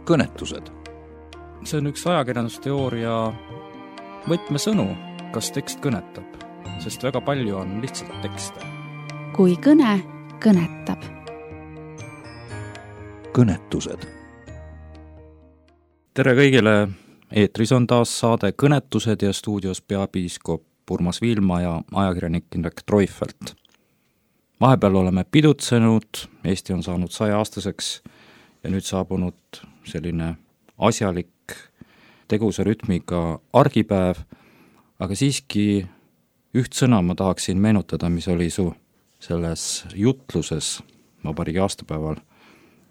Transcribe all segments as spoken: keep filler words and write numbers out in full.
kõnetused. See on üks ajakirjandusteooria võtmesõnu, kas tekst kõnetab, sest väga palju on lihtsalt tekste. Kui kõne kõnetab. Kõnetused. Tere kõigile, eetris on taas saade Kõnetused ja stuudios peapiiskop Urmas Viilma ja ajakirjanik Indrek Treufelt. Vahepeal oleme pidutsenud, Eesti on saanud saja-aastaseks ja nüüd saabunud selline asjalik tegusa rütmiga argipäev, aga siiski üht sõna ma tahaksin meenutada, mis oli su selles jutluses vabariigi aastapäeval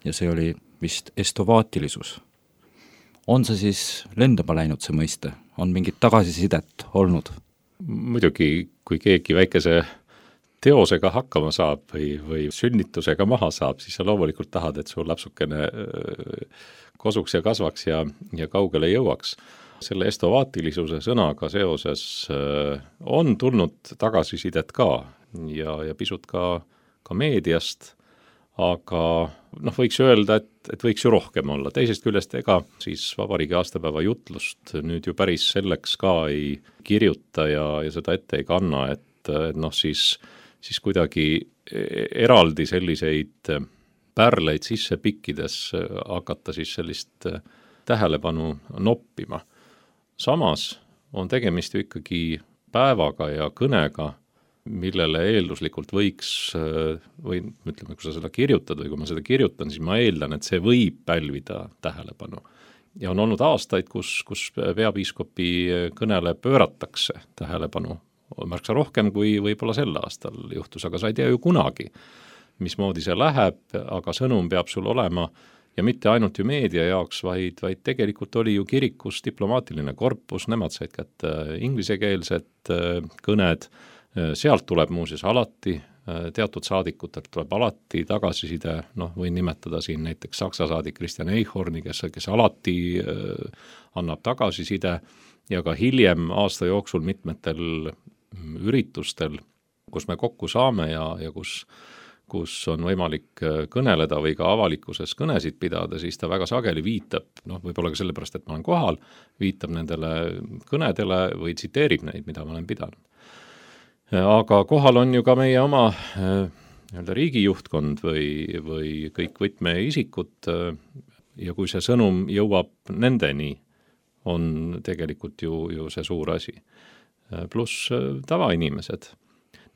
ja see oli vist estovaatilisus. On see siis lendama läinud see mõiste? On mingit tagasisidet olnud? Muidugi, kui keegi väikese teosega hakkama saab või, või sünnitusega maha saab, siis sa loomulikult tahad, et sul lapsukene kosuks ja kasvaks ja, ja kaugele jõuaks. Selle estovaatilisuse sõnaga seoses on tulnud tagasisidet ka ja, ja pisut ka, ka meediast, aga noh, võiks öelda, et, et võiks ju rohkem olla. Teisest küljest ega siis vabariigi aastapäeva jutlust nüüd ju päris selleks ka ei kirjuta ja, ja seda ette ei kanna, et noh siis siis kuidagi eraldi selliseid pärleid sisse pikkides hakata siis sellist tähelepanu noppima. Samas on tegemist ju ikkagi päevaga ja kõnega, millele eelduslikult võiks, või ütleme, kui sa seda kirjutad või kui ma seda kirjutan, siis ma eeldan, et see võib pälvida tähelepanu. Ja on olnud aastaid, kus, kus peapiiskopi kõnele pööratakse tähelepanu märksa rohkem kui võib-olla sel aastal juhtus, aga sa ei tea ju kunagi, mismoodi see läheb, aga sõnum peab sul olema ja mitte ainult ju meedia jaoks, vaid, vaid tegelikult oli ju kirikus diplomaatiline korpus, nemad said kätte inglisekeelsed kõned, sealt tuleb muuseas alati, teatud saadikutelt tuleb alati tagasiside, noh võin nimetada siin näiteks Saksa saadik Christian Eichhorni, kes, kes alati annab tagasiside ja ka hiljem aasta jooksul mitmetel üritustel, kus me kokku saame ja, ja kus, kus on võimalik kõneleda või ka avalikkuses kõnesid pidada, siis ta väga sageli viitab, noh võib-olla ka sellepärast, et ma olen kohal, viitab nendele kõnedele või tsiteerib neid, mida ma olen pidanud. Aga kohal on ju ka meie oma nii-öelda riigijuhtkond või, või kõik võtmeisikud ja kui see sõnum jõuab nendeni, on tegelikult ju, ju see suur asi. Pluss tavainimesed.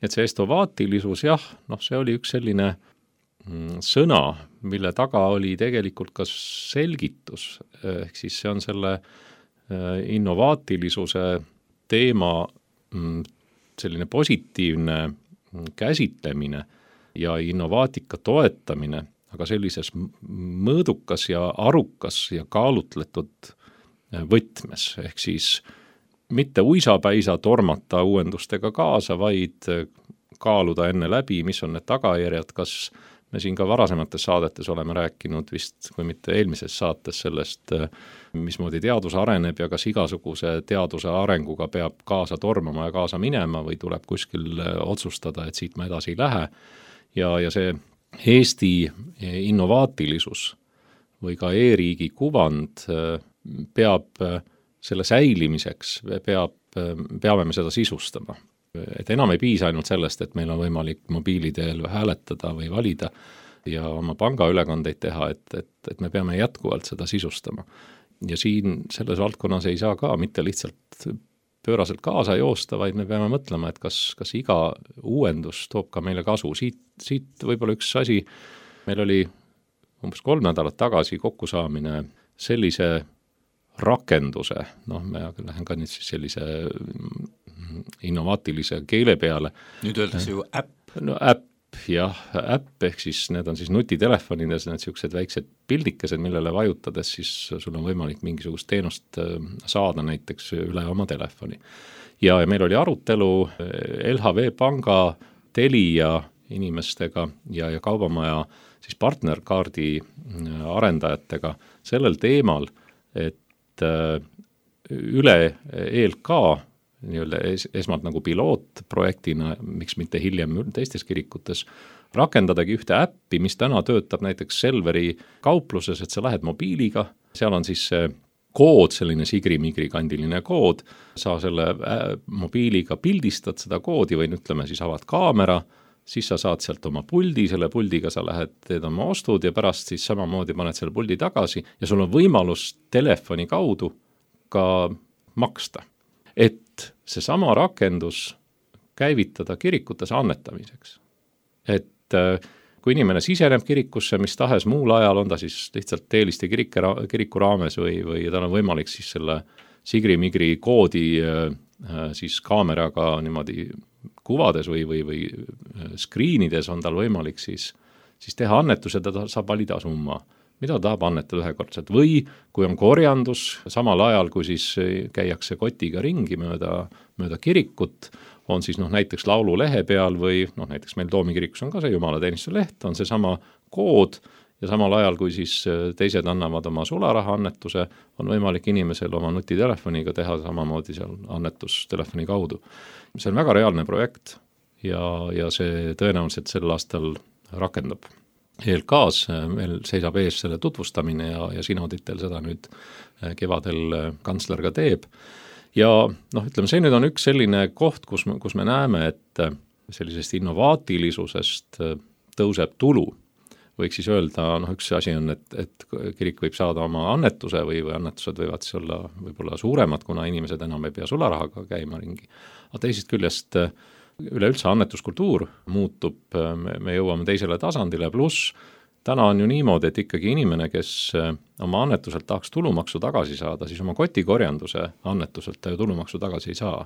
Et see estovaatilisus, jah, noh see oli üks selline sõna, mille taga oli tegelikult ka selgitus, ehk siis see on selle innovaatilisuse teema selline positiivne käsitlemine ja innovaatika toetamine, aga sellises mõõdukas ja arukas ja kaalutletud võtmes, ehk siis mitte uisapäisa tormata uuendustega kaasa, vaid kaaluda enne läbi, mis on need tagajärjed, kas me siin ka varasemates saadetes oleme rääkinud vist, kui mitte eelmises saates sellest, mismoodi teadus areneb ja kas igasuguse teaduse arenguga peab kaasa tormama ja kaasa minema või tuleb kuskil otsustada, et siit ma edasi ei lähe. Ja, ja see Eesti innovaatilisus või ka e-riigi kuvand peab selle säilimiseks, peab, peame me seda sisustama. Et enam ei piisa ainult sellest, et meil on võimalik mobiiliteel hääletada või valida ja oma pangaülekandeid teha, et, et, et me peame jätkuvalt seda sisustama. Ja siin selles valdkonnas ei saa ka mitte lihtsalt pööraselt kaasa joosta, vaid me peame mõtlema, et kas, kas iga uuendus toob ka meile kasu. Siit, siit võib-olla üks asi, meil oli umbes kolm nädalat tagasi kokkusaamine sellise rakenduse, noh me lähen ka nüüd siis sellise innovaatilise keele peale. Nüüd öeldakse ju äpp. No äpp, jah, äpp ehk siis need on siis nutitelefonides, need siuksed väiksed pildikesed, millele vajutades siis sul on võimalik mingisugust teenust saada näiteks üle oma telefoni. Ja, ja meil oli arutelu L H V panga Telia inimestega ja, ja kaubamaja siis partnerkaardi arendajatega sellel teemal, et üle E L K nii-öelda es, esmalt nagu pilootprojektina, miks mitte hiljem teistes kirikutes, rakendadagi ühte äppi, mis täna töötab näiteks Selveri kaupluses, et sa lähed mobiiliga, seal on siis see kood, selline sigri-migri kandiline kood, sa selle mobiiliga pildistad seda koodi või ütleme siis avad kaamera, siis sa saad sealt oma puldi, selle puldiga sa lähed, teed oma ostud ja pärast siis samamoodi paned selle puldi tagasi ja sul on võimalus telefoni kaudu ka maksta. Et see sama rakendus käivitada kirikutes annetamiseks. Et kui inimene siseneb kirikusse, mis tahes muul ajal, on ta siis lihtsalt Teeliste kiriku raames või, või tal on võimalik siis selle sigri-migri koodi siis kaameraga niimoodi kuvades või, või, või screenides on tal võimalik siis, siis teha annetus ja ta saab valida summa, mida tahab annetada ühekordselt. Või kui on korjandus, samal ajal kui siis käiakse kotiga ringi mööda, mööda kirikut, on siis noh, näiteks laululehe peal või noh, näiteks meil Toomikirikus on ka see jumalateenistuse leht, on see sama kood ja samal ajal, kui siis teised annavad oma sularaha annetuse, on võimalik inimesel oma nutitelefoniga teha samamoodi seal annetus telefoni kaudu. See on väga reaalne projekt ja, ja see tõenäoliselt sel aastal rakendub. E L K-s meil seisab ees selle tutvustamine ja, ja Synoditel seda nüüd kevadel kantsler ka teeb. Ja noh, ütleme, see nüüd on üks selline koht, kus me, kus me näeme, et sellisest innovaatilisusest tõuseb tulu. Võiks siis öelda, noh üks asi on, et, et kirik võib saada oma annetuse või, või annetused võivad siis olla võib-olla suuremad, kuna inimesed enam ei pea sularahaga käima ringi. Aga teisest küljest üleüldse annetuskultuur muutub, me, me jõuame teisele tasandile, pluss täna on ju niimoodi, et ikkagi inimene, kes oma annetuselt tahaks tulumaksu tagasi saada, siis oma kotikorjanduse annetuselt ta ju tulumaksu tagasi ei saa.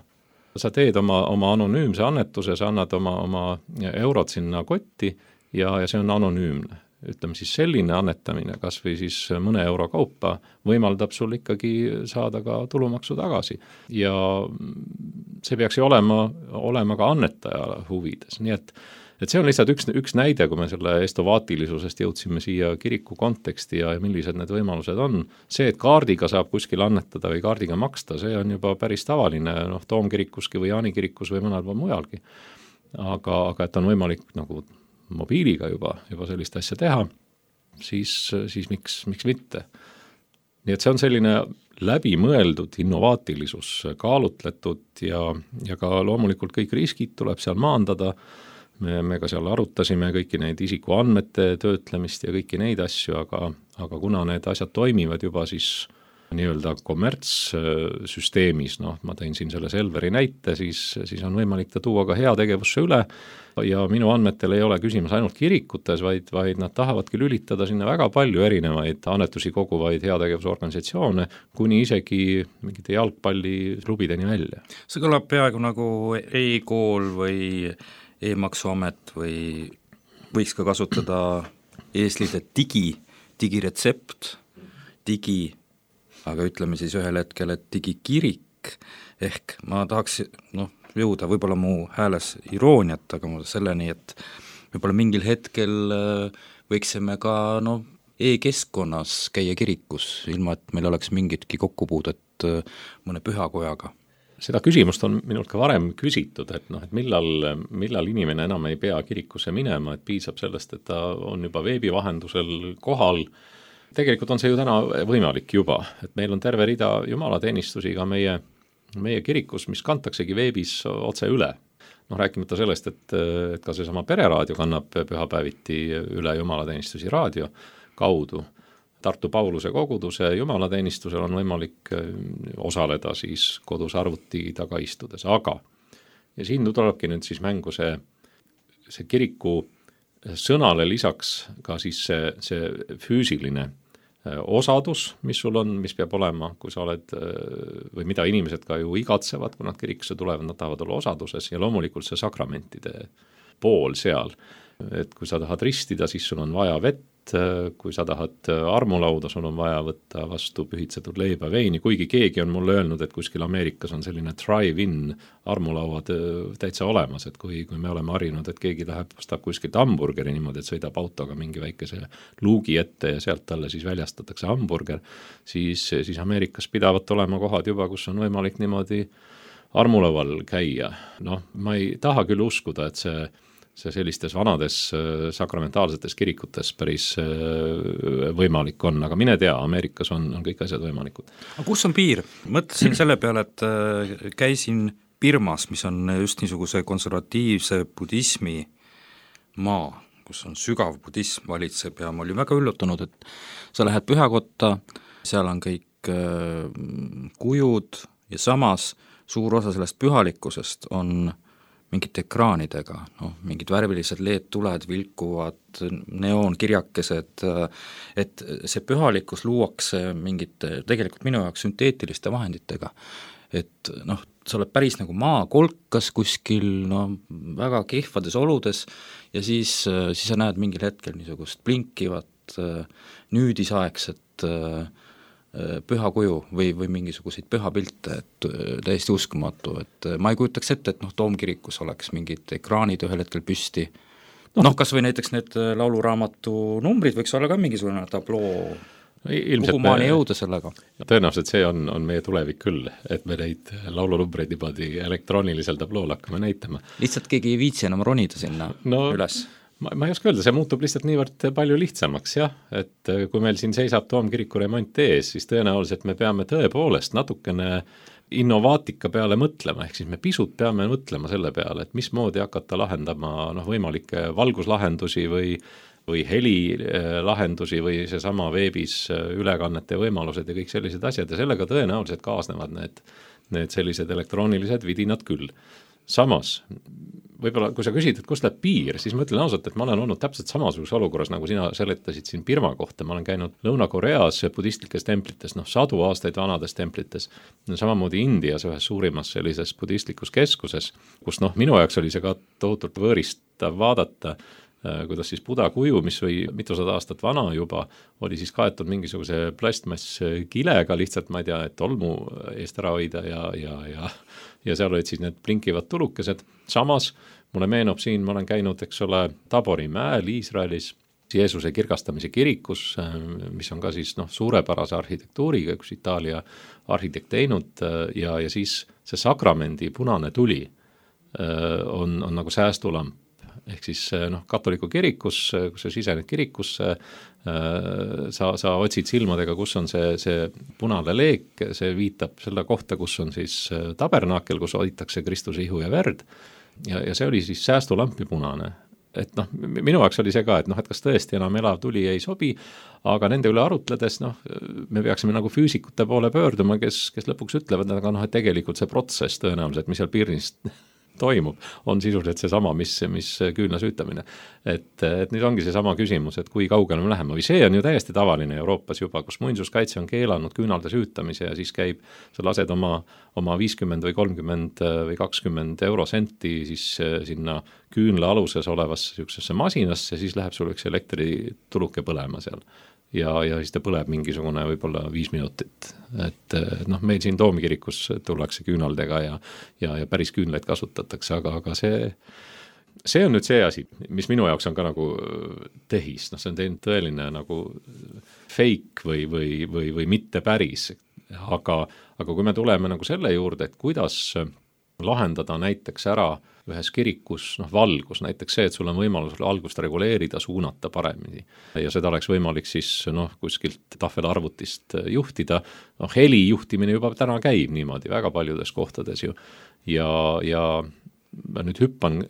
Sa teed oma, oma anonüümse annetuse, sa annad oma, oma eurod sinna kotti ja, ja see on anonüümne. Ütleme siis selline annetamine, kas või siis mõne euro kaupa, võimaldab sul ikkagi saada ka tulumaksu tagasi. Ja see peaks ju olema, olema ka annetaja huvides, nii et Et see on lihtsalt üks, üks näide, kui me selle estovaatilisusest jõudsime siia kiriku konteksti ja millised need võimalused on. See, et kaardiga saab kuskil annetada või kaardiga maksta, see on juba päris tavaline, noh, Toomkirikuski või Jaani kirikus või mõnel pool mujalgi. Aga, aga et on võimalik nagu mobiiliga juba, juba sellist asja teha, siis, siis miks, miks mitte. Nii et see on selline läbimõeldud innovaatilisus, kaalutletud ja, ja ka loomulikult kõik riskid tuleb seal maandada. Me, me ka seal arutasime kõiki neid isikuandmete töötlemist ja kõiki neid asju, aga, aga kuna need asjad toimivad juba siis nii-öelda kommertssüsteemis, noh, ma tõin siin selle Selveri näite, siis, siis on võimalik ta tuua ka heategevusse üle ja minu andmetel ei ole küsimus ainult kirikutes, vaid, vaid nad tahavadki lülitada sinna väga palju erinevaid annetusi koguvaid heategevusorganisatsioone, kuni isegi mingite jalgpalliklubideni välja. See kõlab peaaegu nagu e-kool või e-maksuamet või võiks ka kasutada eeslide digi, digiretsept, digi, aga ütleme siis ühel hetkel, et digikirik, ehk ma tahaks noh, jõuda võib-olla mu hääles irooniat, aga ma selleni, et võib-olla mingil hetkel võiksime ka no, e-keskkonnas käia kirikus, ilma et meil oleks mingitki kokkupuudet mõne pühakojaga. Seda küsimust on minult ka varem küsitud, et, noh, et millal, millal inimene enam ei pea kirikusse minema, et piisab sellest, et ta on juba veebi vahendusel kohal. Tegelikult on see ju täna võimalik juba, et meil on terve rida jumalateenistusi ka meie, meie kirikus, mis kantaksegi veebis otse üle. Noh, rääkimata sellest, et, et ka seesama pereraadio kannab pühapäeviti üle jumalateenistusi raadio kaudu. Tartu Pauluse koguduse jumalateenistusel on võimalik osaleda siis kodus arvuti taga istudes, aga ja siin tulebki nüüd siis mängu see, see kiriku sõnale lisaks ka siis see, see füüsiline osadus, mis sul on, mis peab olema, kui sa oled, või mida inimesed ka ju igatsevad, kui nad kirikusse tulevad, nad tahavad olla osaduses ja loomulikult see sakramentide pool seal, et kui sa tahad ristida, siis sul on vaja vett, kui sa tahad armulauda, sul on vaja võtta vastu pühitsetud leiba veini, kuigi keegi on mulle öelnud, et kuskil Ameerikas on selline drive-in armulauad täitsa olemas, et kui, kui me oleme harjunud, et keegi läheb, ostab kuskilt hamburgeri niimoodi, et sõidab autoga mingi väikese luugi ette ja sealt talle siis väljastatakse hamburger, siis, siis Ameerikas pidavat olema kohad juba, kus on võimalik niimoodi armulaual käia. Noh, ma ei taha küll uskuda, et see see sellistes vanades sakramentaalsetes kirikutes päris võimalik on, aga mine tea, Ameerikas on, on kõik asjad võimalikud. Aga kus on piir? Mõtlesin selle peale, et käisin Birmas, mis on just niisuguse konservatiivse budismi maa, kus on sügav budism valitseb ja ma olin väga üllatunud, et sa lähed pühakotta, seal on kõik kujud ja samas suur osa sellest pühalikkusest on mingite ekraanidega, noh, mingid värvilised leedtuled, vilkuvad neoonkirjakesed, et see pühalikkus luuakse mingite, tegelikult minu jaoks sünteetiliste vahenditega, et noh, sa oled päris nagu maakolkas kuskil, no väga kehvades oludes ja siis, siis sa näed mingil hetkel niisugust blinkivat, nüüdisaegset pühakuju või, või mingisuguseid pühapilte, et täiesti uskumatu, et ma ei kujutaks ette, et noh, Toomkirikus oleks mingid ekraanid ühel hetkel püsti, noh no, kas või näiteks need lauluraamatu numbrid võiks olla ka mingisugune tabloo, kuhu maani jõuda sellega? Tõenäoliselt see on, on meie tulevik küll, et me neid laulunumbreid niimoodi elektroonilisel tablool hakkame näitama. Lihtsalt keegi ei viitsi enam ronida sinna no, üles. Ma, ma ei oska öelda, see muutub lihtsalt niivõrd palju lihtsamaks, jah, et kui meil siin seisab Toomkiriku remont ees, siis tõenäoliselt me peame tõepoolest natukene innovaatika peale mõtlema, ehk siis me pisut peame mõtlema selle peale, et mismoodi hakata lahendama noh, võimalikke valguslahendusi või või helilahendusi või seesama veebis ülekannete võimalused ja kõik sellised asjad ja sellega tõenäoliselt kaasnevad need, need sellised elektroonilised vidinad küll. Samas, võib-olla kui sa küsid, et kus läheb piir, siis ma ütlen ausalt, et ma olen olnud täpselt samasuguses olukorras, nagu sina seletasid siin Birma kohta, ma olen käinud Lõuna-Koreas budistlikes templites, noh sadu aastaid vanades templites, samamoodi Indias ühes suurimas sellises budistlikus keskuses, kus noh, minu jaoks oli see ka tohutult võõristav vaadata, kuidas siis Buda kuju, mis oli mitusada aastat vana juba, oli siis kaetud mingisuguse plastmass kilega lihtsalt, ma ei tea, et tolmu eest ära hoida ja, ja, ja, ja seal olid siis need blinkivad tulukesed. Samas mulle meenub siin, ma olen käinud, eks ole, Tabori mäel Iisraelis, Jeesuse kirgastamise kirikus, mis on ka siis noh, suurepärase arhitektuuriga, üks Itaalia arhitekt teinud ja, ja siis see sakramendi punane tuli on, on nagu säästulamp. Ehk siis noh, katoliku kirikus, kus sa sisened kirikusse, sa, sa otsid silmadega, kus on see, see punane leek, see viitab selle kohta, kus on siis tabernaakel, kus hoitakse Kristuse ihu ja verd ja, ja see oli siis säästulampi punane. Et noh, minu jaoks oli see ka, et noh, et kas tõesti enam elav tuli ei sobi, aga nende üle arutledes noh, me peaksime nagu füüsikute poole pöörduma, kes, kes lõpuks ütlevad, aga noh, et tegelikult see protsess tõenäoliselt, mis seal piirnist toimub, on sisuliselt seesama, mis, mis küünla süütamine. Et, et nüüd ongi seesama küsimus, et kui kaugele me läheme või see on ju täiesti tavaline Euroopas juba, kus muinsuskaitse on keelanud küünalde süütamise ja siis käib, sa lased oma, oma viiskümmend või kolmkümmend või kakskümmend eurosenti siis sinna küünla aluses olevasse sükksesse masinasse, siis läheb sul üks elektrituluke põlema seal. Ja, ja siis ta põleb mingisugune võib-olla viis minutit. Et noh, meil siin Toomkirikus tullakse küünaldega ja, ja, ja päris küünlaid kasutatakse, aga, aga see, see on nüüd see asi, mis minu jaoks on ka nagu tehis, noh see on teinud tõeline nagu fake või, või, või, või mitte päris, aga, aga kui me tuleme nagu selle juurde, et kuidas lahendada näiteks ära ühes kirikus noh, valgus, näiteks see, et sul on võimalus valgust reguleerida, suunata paremini ja seda oleks võimalik siis noh, kuskilt tahvelarvutist juhtida, noh heli juhtimine juba täna käib niimoodi väga paljudes kohtades ju ja, ja ma nüüd hüppan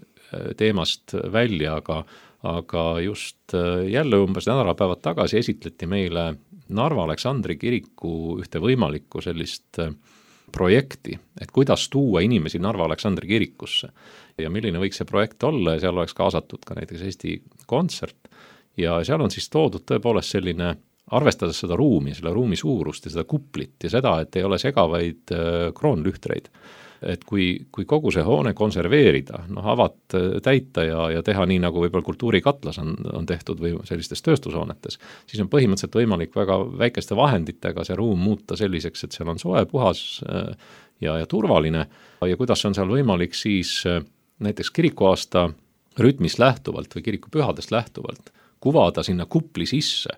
teemast välja, aga, aga just jälle umbes nädalapäevad tagasi esitleti meile Narva Aleksandri kiriku ühte võimalikku sellist projekti, et kuidas tuua inimesi Narva Aleksandri kirikusse ja milline võiks see projekt olla ja seal oleks kaasatud ka näiteks Eesti Kontsert ja seal on siis toodud tõepoolest selline, arvestades seda ruumi, selle ruumi suurust ja seda kuplit ja seda, et ei ole segavaid kroonlühtreid, et kui, kui kogu see hoone konserveerida, noh avad täita ja, ja teha nii, nagu võib-olla kultuurikatlas on, on tehtud või sellistes tööstushoonetes, siis on põhimõtteliselt võimalik väga väikeste vahenditega see ruum muuta selliseks, et seal on soe, puhas ja, ja turvaline ja kuidas on seal võimalik siis näiteks kirikuaasta rütmist lähtuvalt või kirikupühadest lähtuvalt kuvada sinna kupli sisse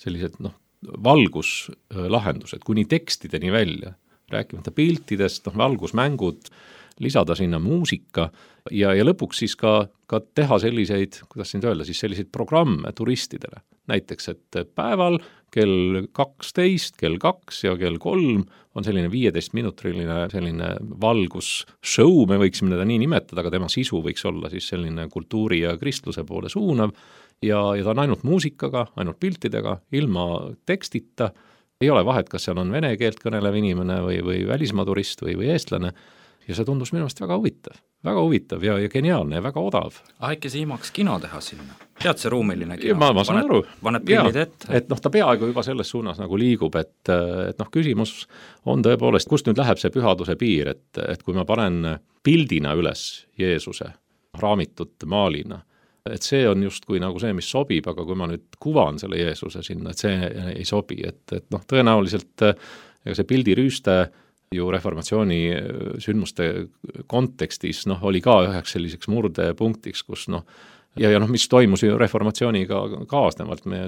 sellised noh, valguslahendused kuni tekstideni välja, rääkimata piltidest, noh, valgusmängud, lisada sinna muusika ja, ja lõpuks siis ka, ka teha selliseid, kuidas siin öelda, siis selliseid programme turistidele. Näiteks, et päeval kell kaksteist, kell kaks ja kell kolm on selline viieteist minutriline selline valgusshow, me võiksime teda nii nimetada, aga tema sisu võiks olla siis selline kultuuri ja kristluse poole suunav ja, ja ta on ainult muusikaga, ainult piltidega, ilma tekstita, ei ole vahet, kas seal on vene keelt kõnelev inimene või, või välismaa turist või, või eestlane ja see tundus minu meelest väga huvitav. Väga huvitav ja, ja geniaalne ja väga odav. Äkki see imaks kino teha sinna? Tead see ruumiline kino? Ma, ma saan paned, aru. Paned pillid ette? Et noh, ta peaaegu juba selles suunas nagu liigub, et, et noh, küsimus on tõepoolest, kust nüüd läheb see pühaduse piir, et, et kui ma panen pildina üles Jeesuse raamitud maalina, et see on justkui nagu see, mis sobib, aga kui ma nüüd kuvan selle Jeesuse sinna, et see ei sobi, et, et noh, tõenäoliselt ega see pildirüüste ju reformatsiooni sündmuste kontekstis noh, oli ka üheks selliseks murdepunktiks, kus noh, ja, ja noh, mis toimus ju reformatsiooniga kaasnevalt, me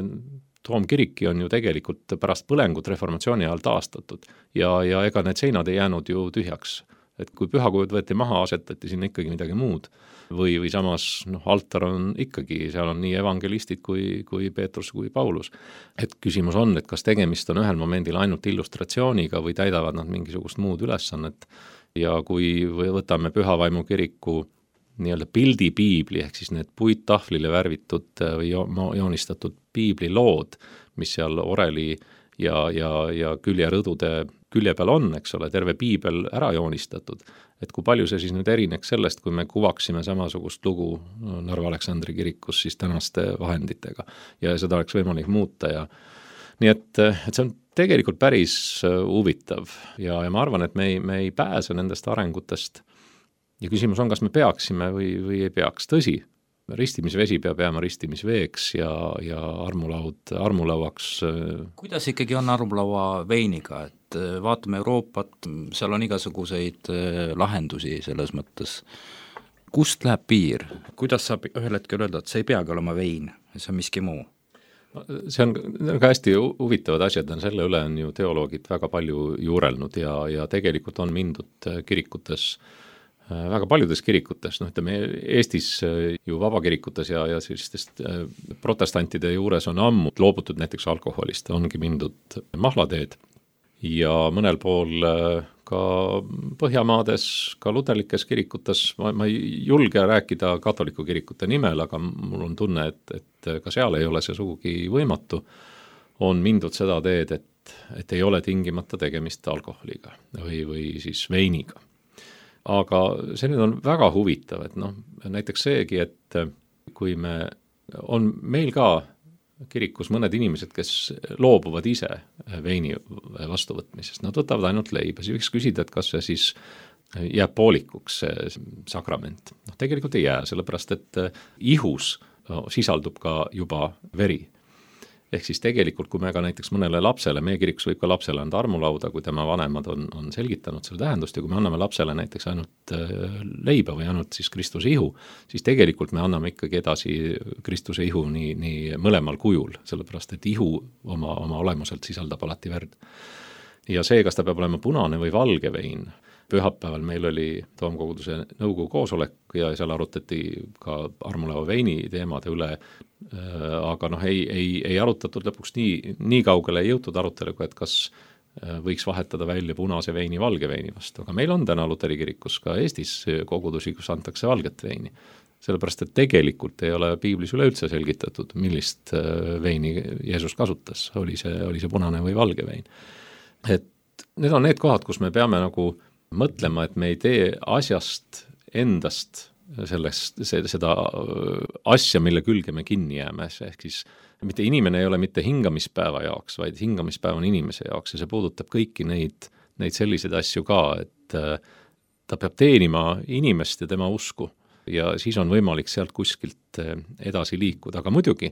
Toomkiriki on ju tegelikult pärast põlengut reformatsiooni ajal taastatud ja, ja ega need seinad ei jäänud ju tühjaks. Et kui pühakujud võeti maha, asetati sinna ikkagi midagi muud või, või samas noh, altar on ikkagi, seal on nii evangelistid kui, kui Peetrus kui Paulus. Et küsimus on, et kas tegemist on ühel momendil ainult illustratsiooniga või täidavad nad mingisugust muud ülesannet ja kui võtame Pühavaimu kiriku nii-öelda pildipiibli ehk siis need puittahvlile värvitud või joonistatud piiblilood, mis seal oreli ja, ja, ja küljerõdude külje peal on, eks ole, terve piibel ära joonistatud, et kui palju see siis nüüd erineks sellest, kui me kuvaksime samasugust lugu Narva Aleksandri kirikus siis tänaste vahenditega ja seda oleks võimalik muuta ja nii et, et see on tegelikult päris huvitav ja, ja ma arvan, et me ei, me ei pääse nendest arengutest ja küsimus on, kas me peaksime või, või ei peaks, tõsi, ristimisvesi peab jääma ristimisveeks ja, ja armulaud armulauaks. Kuidas ikkagi on armulaua veiniga, et vaatame Euroopat, seal on igasuguseid lahendusi selles mõttes. Kust läheb piir? Kuidas saab ühel hetkel öelda, et see ei peagi olema vein, see on miski muu? See on ka hästi huvitavad asjad, selle üle on ju teoloogid väga palju juurelnud ja, ja tegelikult on mindud kirikutes väga paljudes kirikutes, noh ütleme Eestis ju vabakirikutes ja, ja sellistest protestantide juures on ammu loobutud näiteks alkoholist, ongi mindud mahlateed ja mõnel pool ka Põhjamaades, ka luterlikes kirikutes, ma, ma ei julge rääkida katoliku kirikute nimel, aga mul on tunne, et, et ka seal ei ole see sugugi võimatu, on mindud seda teed, et, et ei ole tingimata tegemist alkoholiga või, või siis veiniga. Aga see nüüd on väga huvitav, et noh, näiteks seegi, et kui me, on meil ka kirikus mõned inimesed, kes loobuvad ise veini vastuvõtmisest, nad võtavad ainult leiba, siis võiks küsida, et kas see siis jääb poolikuks see sakrament. Noh, tegelikult ei jää, sellepärast et ihus sisaldub ka juba veri. Ehk siis tegelikult, kui me ka näiteks mõnele lapsele, meie kirikus võib ka lapsele anda armulauda, kui tema vanemad on, on selgitanud selle tähendust ja kui me anname lapsele näiteks ainult leiba või ainult siis Kristuse ihu, siis tegelikult me anname ikkagi edasi Kristuse ihu nii, nii mõlemal kujul, sellepärast et ihu oma, oma olemuselt sisaldab alati verd. Ja see, kas ta peab olema punane või valge vein, pühapäeval meil oli Toomkoguduse nõukogu koosolek ja seal arutati ka armulaua veini teemade üle, aga noh, ei, ei, ei arutatud lõpuks nii, nii kaugele ei jõutud aruteluga, et kas võiks vahetada välja punase veini valge veini vastu, aga meil on täna Luteri kirikus ka Eestis kogudusi, kus antakse valget veini. Sellepärast, et tegelikult ei ole piiblis üleüldse selgitatud, millist veini Jeesus kasutas, oli see, oli see punane või valge vein. Et need on need kohad, kus me peame nagu mõtlema, et me ei tee asjast endast sellest, seda asja, mille külge me kinni jääme, ehk siis mitte inimene ei ole mitte hingamispäeva jaoks, vaid hingamispäev on inimese jaoks ja see puudutab kõiki neid, neid selliseid asju ka, et ta peab teenima inimest ja tema usku ja siis on võimalik sealt kuskilt edasi liikuda, aga muidugi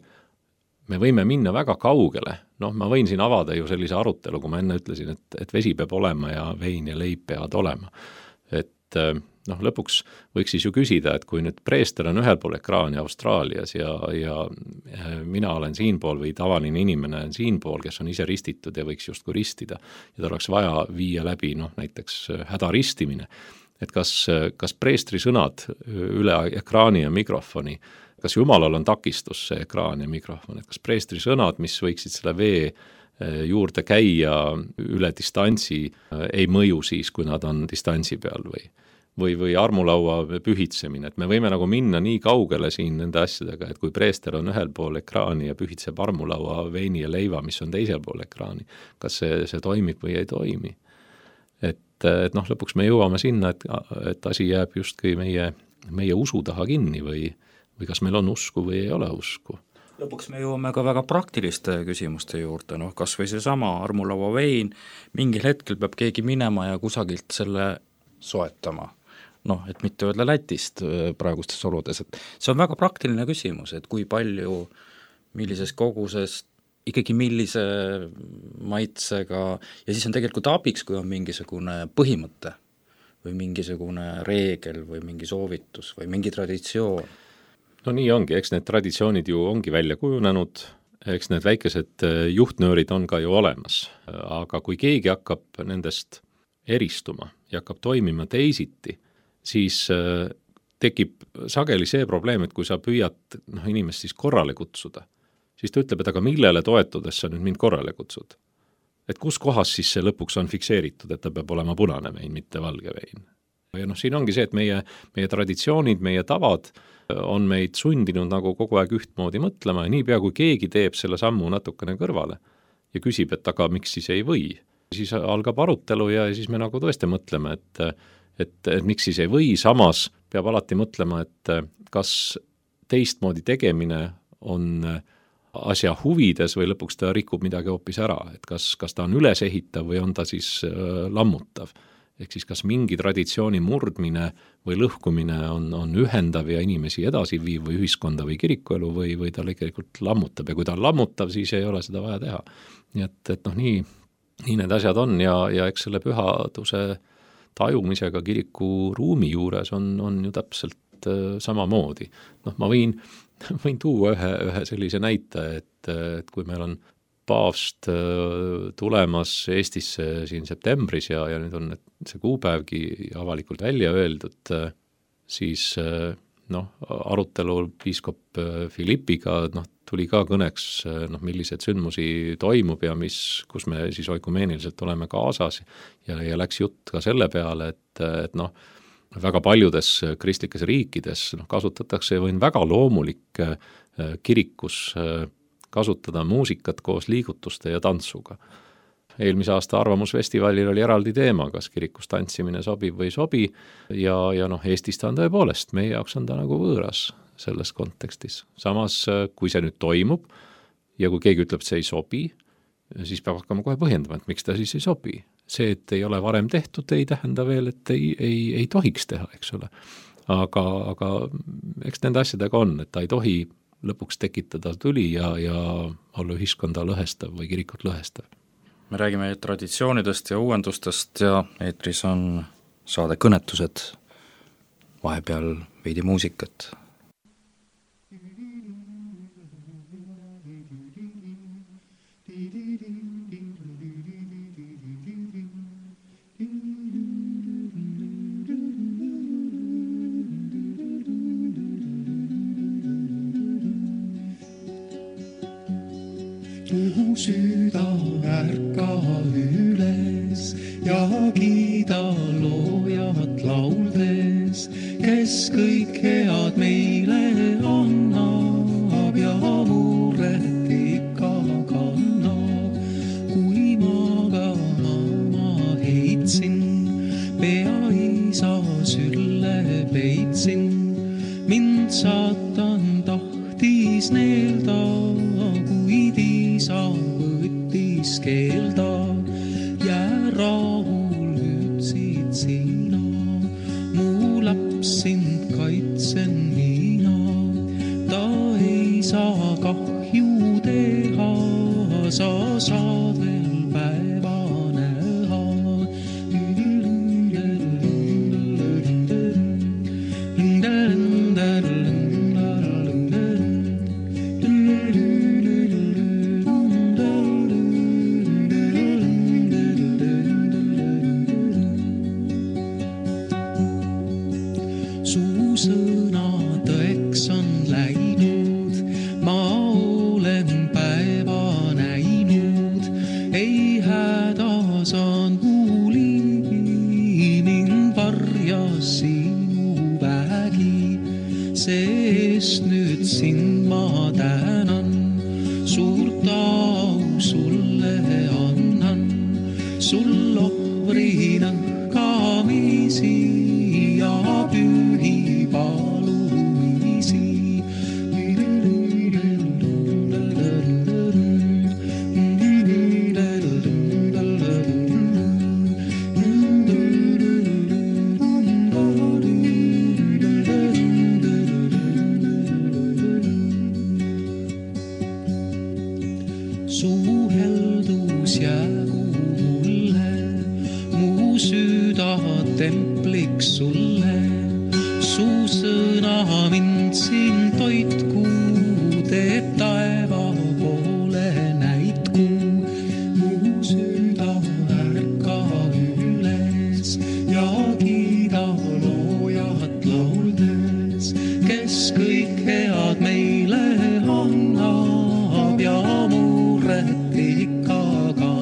me võime minna väga kaugele, noh, ma võin siin avada ju sellise arutelu, kui ma enne ütlesin, et, et vesi peab olema ja vein ja leib peavad olema. Et noh, lõpuks võiks siis ju küsida, et kui nüüd preester on ühel pool ekraani Austraalias ja, ja mina olen siinpool või tavaline inimene on siinpool, kes on ise ristitud ja võiks justkui ristida ja ta oleks vaja viia läbi noh, näiteks hädaristimine et kas, kas preestri sõnad üle ekraani ja mikrofoni, kas jumalal on takistus see ekraan ja mikrofon, et kas preestri sõnad, mis võiksid selle vee juurde käia üle distantsi, ei mõju siis, kui nad on distantsi peal või või, või armulaua pühitsemine, et me võime nagu minna nii kaugele siin nende asjadega, et kui preester on ühel pool ekraani ja pühitseb armulaua veini ja leiva, mis on teisel pool ekraani, kas see, see toimib või ei toimi. Et, et noh, lõpuks me jõuame sinna, et, et asi jääb justkui meie, meie usu taha kinni või, või kas meil on usku või ei ole usku. Lõpuks me jõuame ka väga praktiliste küsimuste juurde, noh kas või seesama armulaua vein, mingil hetkel peab keegi minema ja kusagilt selle soetama. Noh, et mitte öelda Lätist praegustes oludes, et see on väga praktiline küsimus, et kui palju, millises koguses, ikkagi millise maitsega ja siis on tegelikult abiks, kui on mingisugune põhimõte või mingisugune reegel või mingi soovitus või mingi traditsioon. No nii ongi, eks need traditsioonid ju ongi välja kujunenud, eks need väikesed juhtnöörid on ka ju olemas, aga kui keegi hakkab nendest eristuma ja hakkab toimima teisiti, siis äh, tekib sageli see probleem, et kui sa püüad noh, inimest siis korrale kutsuda, siis ta ütleb, et aga millele toetudes sa nüüd mind korrale kutsud? Et kus kohas siis see lõpuks on fikseeritud, et ta peab olema punane vein, mitte valge vein. Ja noh, siin ongi see, et meie, meie traditsioonid, meie tavad on meid sundinud nagu kogu aeg ühtmoodi mõtlema ja niipea kui keegi teeb selle sammu natukene kõrvale ja küsib, et aga miks siis ei või, siis algab arutelu ja siis me nagu tõesti mõtleme, et Et, et miks siis ei või, samas peab alati mõtlema, et kas teistmoodi tegemine on asja huvides või lõpuks ta rikub midagi hoopis ära, et kas, kas ta on ülesehitav või on ta siis äh, lammutav. Ehk siis kas mingi traditsiooni murdmine või lõhkumine on, on ühendav ja inimesi edasi viiv või ühiskonda või kirikuelu või, või ta tegelikult lammutab ja kui ta on lammutav, siis ei ole seda vaja teha. Nii et, et noh, nii, nii need asjad on ja, ja eks selle pühaduse tajumisega kiriku ruumi juures on, on ju täpselt äh, samamoodi. Noh, ma võin, võin tuua ühe, ühe sellise näite, et, et kui meil on paavst äh, tulemas Eestisse siin septembris ja, ja nüüd on see kuupäevgi avalikult välja öeldud, äh, siis äh, noh, arutelul piiskop Philippiga noh, tuli ka kõneks, noh, millised sündmusi toimub ja mis, kus me siis oikumeeniliselt oleme kaasas ja, ja läks jutt ka selle peale, et, et noh, väga paljudes kristlikes riikides noh, kasutatakse või on väga loomulik kirikus kasutada muusikat koos liigutuste ja tantsuga. Eelmise aasta arvamusfestivalil oli eraldi teema, kas kirikus tantsimine sobib või sobi ja, ja noh, Eestis ta on tõepoolest, meie jaoks on ta nagu võõras selles kontekstis. Samas, kui see nüüd toimub ja kui keegi ütleb, et see ei sobi, siis peab hakkama kohe põhjendama, et miks ta siis ei sobi. See, et ei ole varem tehtud, ei tähenda veel, et ei, ei, ei tohiks teha, eks ole. Aga, aga eks nende asjadega on, et ta ei tohi lõpuks tekitada tüli ja, ja olla ühiskonda lõhestav või kirikut lõhestav. Me räägime traditsioonidest ja uuendustest ja eetris on saade kõnetused, vahepeal veidi muusikat. Mu süda ärka üles ja kiida loojat lauldes, kes kõik head meile annab ja muret ikka kannab. Kui magama ma heitsin, pea isa sülle peitsin, mind saatan tahtis neelda, kuid isa võttis keelda. Jää rahul ütsid sina, mu laps sind kaitsen mina. Ta ei saa kahju teha, sa saad veel päeva näha. hädas on huuli, mind varjas sinu vägi, sest nüüd sind ma tänan, suurt au sulle annan, sul ohvrinan kamisi ja pühi palumisi. Suheldus jäägu mulle, mu süda templiks sulle, su sõna mind siin toitku, teeb taeva poole näitku. Mu süda ärka üles ja kiida loojat lauldes, kes kõik head meile annab ja muret ikka kannab.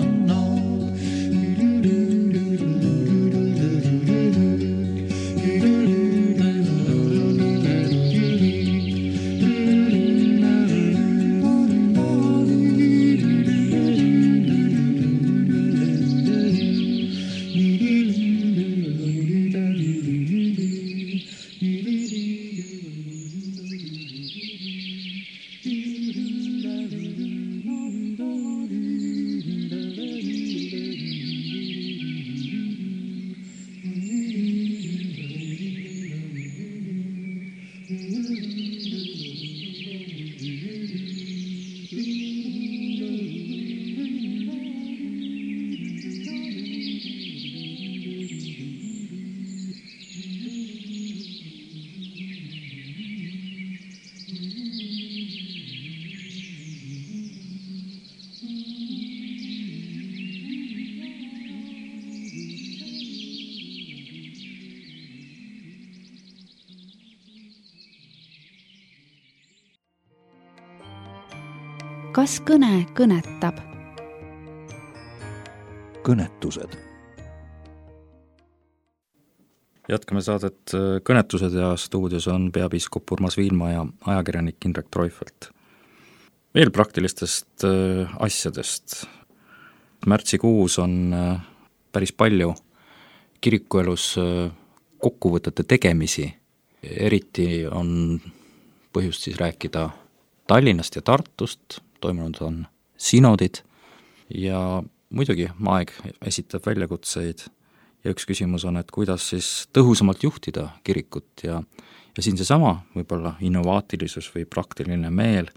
Kas kõne kõnetab? Kõnetused. Jätkame saadet Kõnetused ja stuudios on peapiiskop Urmas Viilma ja ajakirjanik Indrek Treufelt. Veel praktilistest asjadest. Märtsikuus on päris palju kirikuelus kokkuvõtete tegemisi. Eriti on põhjust siis rääkida Tallinnast ja Tartust, toimunud on sinodid ja muidugi aeg esitab väljakutseid ja üks küsimus on, et kuidas siis tõhusamalt juhtida kirikut ja, ja siin seesama võib-olla innovaatilisus või praktiline meel,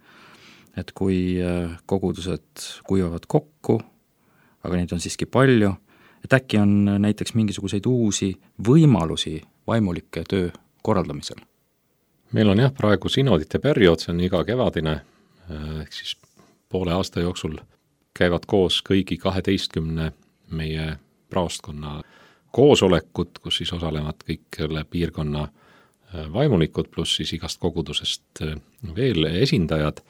et kui kogudused kuivavad kokku, aga neid on siiski palju, et äkki on näiteks mingisuguseid uusi võimalusi vaimulike töö korraldamisel. Meil on jah praegu sinodite periood, see on iga kevadine, ehk siis poole aasta jooksul käivad koos kõigi kaheteistkümne meie praostkonna koosolekud, kus siis osalevad kõik piirkonna vaimulikud, pluss siis igast kogudusest veel esindajad.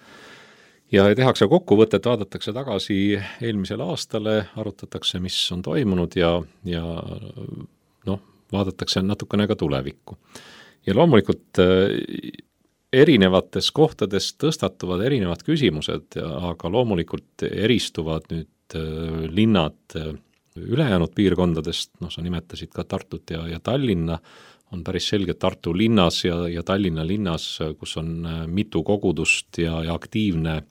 Ja tehakse kokkuvõtet, vaadatakse tagasi eelmisele aastale, arutatakse, mis on toimunud ja, ja noh, vaadatakse natukene ka tulevikku. Ja loomulikult erinevates kohtades tõstatuvad erinevad küsimused, aga loomulikult eristuvad nüüd linnad ülejäänud piirkondadest, noh sa nimetasid ka Tartut ja, ja Tallinna, on päris selge Tartu linnas ja, ja Tallinna linnas, kus on mitu kogudust ja, ja aktiivne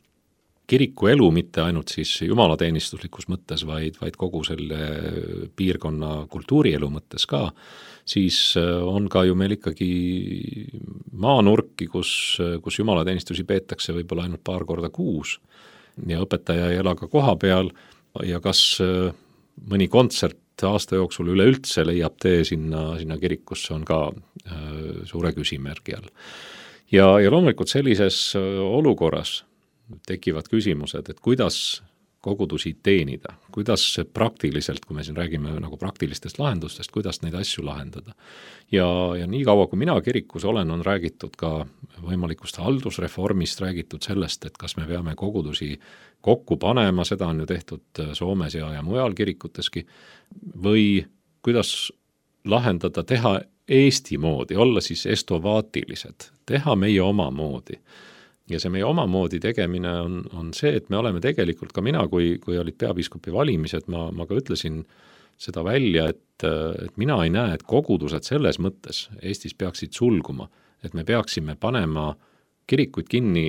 kirikuelu, mitte ainult siis jumalateenistuslikus mõttes, vaid, vaid kogu selle piirkonna kultuurielu mõttes ka, siis on ka ju meil ikkagi maanurki, kus, kus jumalateenistusi peetakse võib-olla ainult paar korda kuus ja õpetaja ei ela ka koha peal ja kas mõni kontsert aasta jooksul üleüldse leiab tee sinna, sinna kirikusse on ka äh, suure küsimärgi all. Ja, ja loomulikult sellises olukorras tekivad küsimused, et kuidas kogudusi teenida, kuidas praktiliselt, kui me siin räägime nagu praktilistest lahendustest, kuidas neid asju lahendada. Ja, ja nii kaua, kui mina kirikus olen, on räägitud ka võimalikust haldusreformist, räägitud sellest, et kas me peame kogudusi kokku panema, seda on ju tehtud Soomes ja, ja mujal kirikuteski, või kuidas lahendada, teha Eesti moodi, olla siis estovaatilised, teha meie oma moodi. Ja see meie oma moodi tegemine on, on see, et me oleme tegelikult, ka mina, kui, kui olid peapiiskopi valimised, ma, ma ka ütlesin seda välja, et, et mina ei näe, et kogudused selles mõttes Eestis peaksid sulguma, et me peaksime panema kirikuid kinni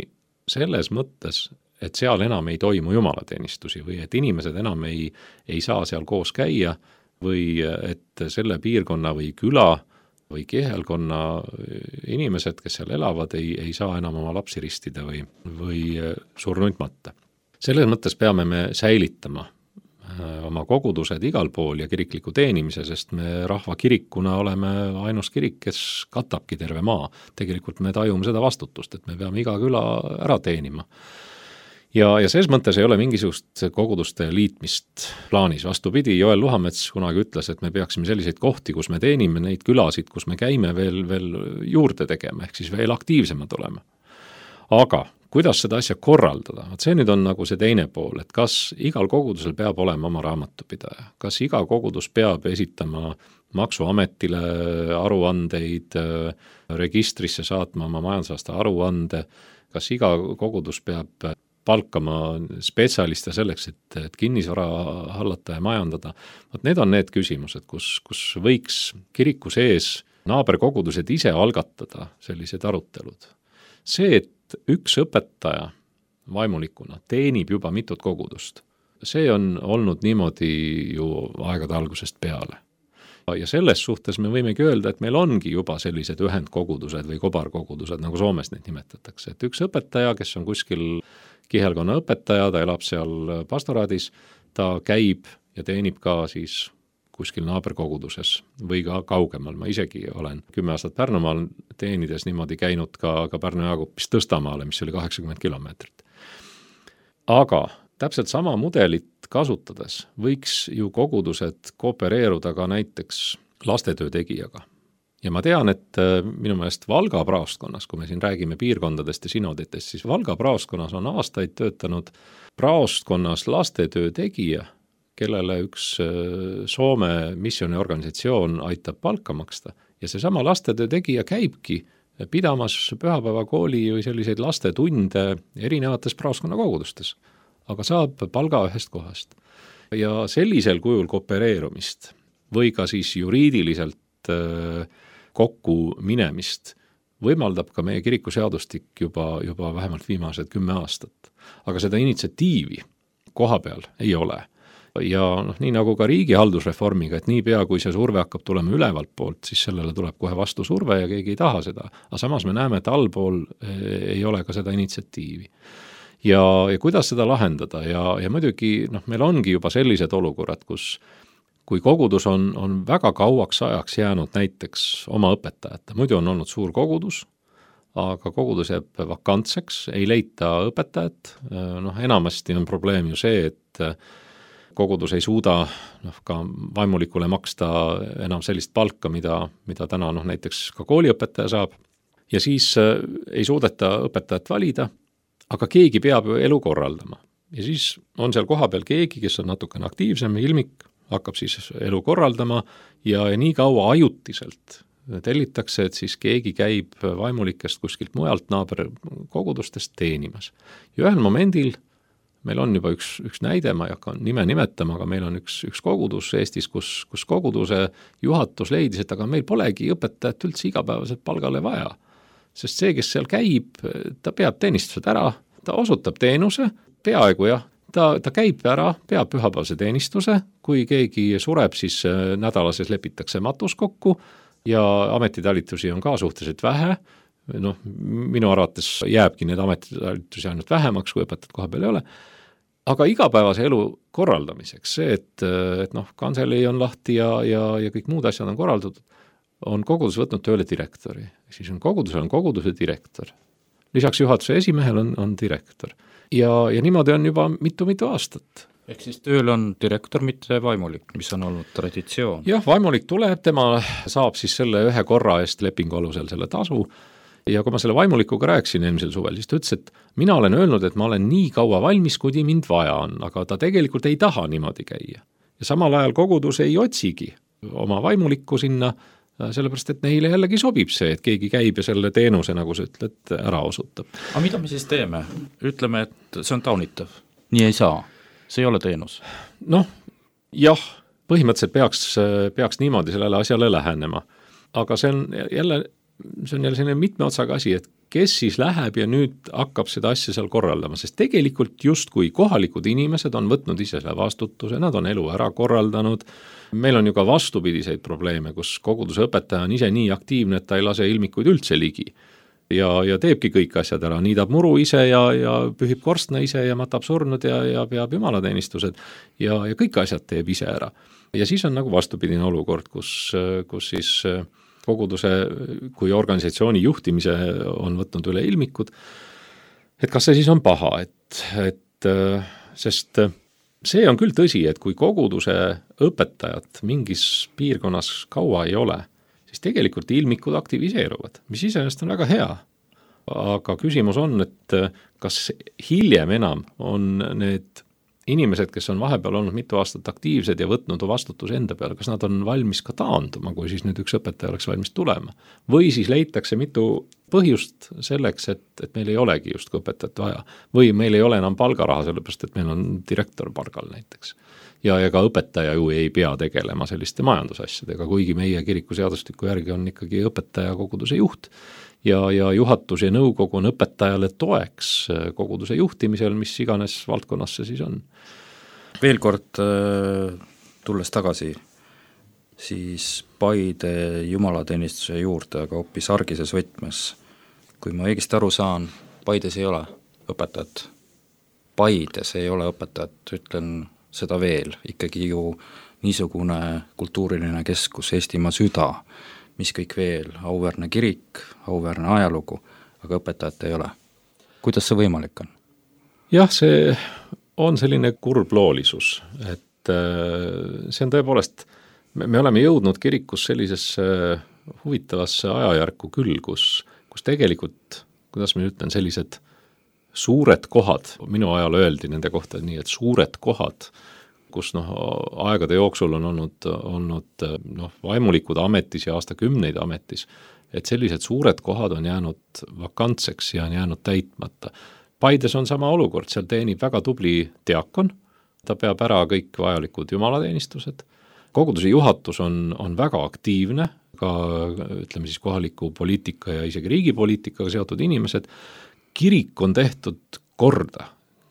selles mõttes, et seal enam ei toimu jumalateenistusi või et inimesed enam ei, ei saa seal koos käia või et selle piirkonna või küla või kihelkonna inimesed, kes seal elavad, ei, ei saa enam oma lapsi ristida või, või surnuid matta. Selles mõttes peame me säilitama oma kogudused igal pool ja kirikliku teenimise, sest me rahvakirikuna oleme ainus kirik, kes katabki terve maa. Tegelikult me tajume seda vastutust, et me peame iga küla ära teenima. Ja, ja selles mõttes ei ole mingisugust koguduste liitmist plaanis. Vastupidi, Joel Luhamets kunagi ütles, et me peaksime selliseid kohti, kus me teenime neid külasid, kus me käime veel, veel juurde tegema, ehk siis veel aktiivsemad olema. Aga kuidas seda asja korraldada? See nüüd on nagu see teine pool, et kas igal kogudusel peab olema oma raamatupidaja, kas iga kogudus peab esitama maksuametile aruandeid, registrisse saatma oma majandusaasta aruande, kas iga kogudus peab palkama spetsialiste selleks, et, et kinnisvara hallata ja majandada. Võt need on need küsimused, kus, kus võiks kiriku sees naaberkogudused ise algatada sellised arutelud. See, et üks õpetaja vaimulikuna teenib juba mitut kogudust, see on olnud niimoodi ju aegade algusest peale. Ja selles suhtes me võimegi öelda, et meil ongi juba sellised ühendkogudused või kobarkogudused, nagu Soomes neid nimetatakse. Et üks õpetaja, kes on kuskil kihelkonna õpetaja, ta elab seal pastoraadis, ta käib ja teenib ka siis kuskil naaberkoguduses või ka kaugemal. Ma isegi olen kümme aastat Pärnumaal teenides niimoodi käinud ka, ka Pärnu Jaagupist Tõstamaale, mis oli kaheksakümmend kilomeetrit. Aga täpselt sama mudelit kasutades võiks ju kogudused koopereeruda ka näiteks lastetöö tegijaga. Ja ma tean, et minu meelest Valga praostkonnas, kui me siin räägime piirkondadest ja sinoditest, siis Valga praostkonnas on aastaid töötanud praostkonnas lastetöö tegija, kellele üks Soome missioniorganisatsioon aitab palka maksta. Ja see sama lastetöö tegija käibki pidamas pühapäevakooli või selliseid lastetunde erinevates praostkonna kogudustes, aga saab palga ühest kohast. Ja sellisel kujul koopereerumist või ka siis juriidiliselt kokku minemist võimaldab ka meie kirikuseadustik juba, juba vähemalt viimased kümme aastat. Aga seda initsiatiivi koha peal ei ole. Ja noh, nii nagu ka riigi haldusreformiga, et nii pea, kui see surve hakkab tulema ülevalt poolt, siis sellele tuleb kohe vastu surve ja keegi ei taha seda. Aga samas me näeme, et allpool ei ole ka seda initsiatiivi. Ja, ja kuidas seda lahendada? Ja, ja muidugi noh, meil ongi juba sellised olukorrad, kus kui kogudus on, on väga kauaks ajaks jäänud näiteks oma õpetajate, muidu on olnud suur kogudus, aga kogudus jääb vakantseks, ei leita õpetajat, noh enamasti on probleem ju see, et kogudus ei suuda noh, ka vaimulikule maksta enam sellist palka, mida, mida täna noh, näiteks ka kooliõpetaja saab, ja siis ei suudeta õpetajat valida, aga keegi peab ju elu korraldama. Ja siis on seal koha peal keegi, kes on natukene aktiivsem, ilmik, hakkab siis elu korraldama ja, ja nii kaua ajutiselt tellitakse, et siis keegi käib vaimulikest kuskilt mujalt naaberkogudustest teenimas. Ja ühel momendil meil on juba üks, üks näide, ma ei hakka nime nimetama, aga meil on üks, üks kogudus Eestis, kus, kus koguduse juhatus leidis, et aga meil polegi õpetajat üldse igapäevaselt palgale vaja. Sest see, kes seal käib, ta peab teenistused ära, ta osutab teenuse, peaaegu jah, ta, ta käib ära, peab pühapäevase teenistuse, kui keegi sureb, siis nädalases lepitakse matus kokku ja ametitalitusi on ka suhteliselt vähe. Noh, minu arvates jääbki need ametitalitusi ainult vähemaks, kui õpetajad koha peal ei ole. Aga igapäevase elu korraldamiseks, see, et, et noh, kantselei on lahti ja, ja, ja kõik muud asjad on korraldatud, on kogudus võtnud tööle direktori. Siis on kogudusel on koguduse direktor. Lisaks juhatuse esimehel on, on direktor. Ja, ja niimoodi on juba mitu-mitu aastat. Ehk siis tööl on direktor, mitte vaimulik, mis on olnud traditsioon. Jah, vaimulik tuleb, tema saab siis selle ühe korra eest lepingu alusel selle tasu ja kui ma selle vaimulikuga rääkisin eelmisel suvel, siis ta ütles, et mina olen öelnud, et ma olen nii kaua valmis, kuni mind vaja on, aga ta tegelikult ei taha niimoodi käia. Ja samal ajal kogudus ei otsigi oma vaimulikku sinna, sellepärast, et neile jällegi sobib see, et keegi käib ja selle teenuse, nagu sa ütled, ära osutab. Aga mida me siis teeme? Ütleme, et see on taunitav. Nii ei saa. See ei ole teenus. Noh, jah, põhimõtteliselt peaks, peaks niimoodi sellele asjale lähenema. Aga see on jälle, see on jälle selline mitme otsaga asi, et kes siis läheb ja nüüd hakkab seda asja seal korraldama, sest tegelikult justkui kohalikud inimesed on võtnud ise selle vastutuse, nad on elu ära korraldanud. Meil on ju ka vastupidiseid probleeme, kus koguduse õpetaja on ise nii aktiivne, et ta ei lase ilmikuid üldse ligi. Ja, ja teebki kõik asjad ära, niidab muru ise ja, ja pühib korstna ise ja matab surnud ja, ja peab jumalateenistused ja, ja kõik asjad teeb ise ära. Ja siis on nagu vastupidine olukord, kus, kus siis koguduse kui organisatsiooni juhtimise on võtnud üle ilmikud, et kas see siis on paha, et, et sest see on küll tõsi, et kui koguduse õpetajat mingis piirkonnas kaua ei ole, siis tegelikult ilmikud aktiviseeruvad, mis iseenesest on väga hea. Aga küsimus on, et kas hiljem enam on need inimesed, kes on vahepeal olnud mitu aastat aktiivsed ja võtnud vastutuse enda peale, kas nad on valmis ka taanduma, kui siis nüüd üks õpetaja oleks valmis tulema. Või siis leitakse mitu põhjust selleks, et, et meil ei olegi just õpetajat vaja. Või meil ei ole enam palgaraha, sellepärast et meil on direktor palgal näiteks. Ja, ja ka õpetaja ju ei pea tegelema selliste majandusasjadega, kuigi meie kirikuseadustiku järgi on ikkagi õpetaja koguduse juht. Ja, ja juhatus ja nõukogu on õpetajale toeks koguduse juhtimisel, mis iganes valdkonnas see siis on. Veel kord tulles tagasi, siis Paide jumalateenistuse juurde, aga hoopis argises võtmes. Kui ma õigesti aru saan, Paides ei ole õpetajat. Paides ei ole õpetajat, ütlen seda veel, ikkagi ju niisugune kultuuriline keskus, Eestimaa süda, mis kõik veel, auväärne kirik, auväärne ajalugu, aga õpetajat ei ole. Kuidas see võimalik on? Jah, see on selline kurbloolisus, et see on tõepoolest, me oleme jõudnud kirikus sellisesse huvitavasse ajajärku küll, kus, kus tegelikult, kuidas ma ütlen, sellised suured kohad, minu ajal öeldi nende kohta nii, et suured kohad, kus noh, aegade jooksul on olnud, olnud noh, vaimulikud ametis ja aastakümneid ametis, et sellised suured kohad on jäänud vakantseks ja on jäänud täitmata. Paides on sama olukord, seal teenib väga tubli diakon, ta peab ära kõik vajalikud jumalateenistused, koguduse juhatus on, on väga aktiivne, ka ütleme siis kohaliku poliitika ja isegi riigipoliitikaga seotud inimesed, kirik on tehtud korda,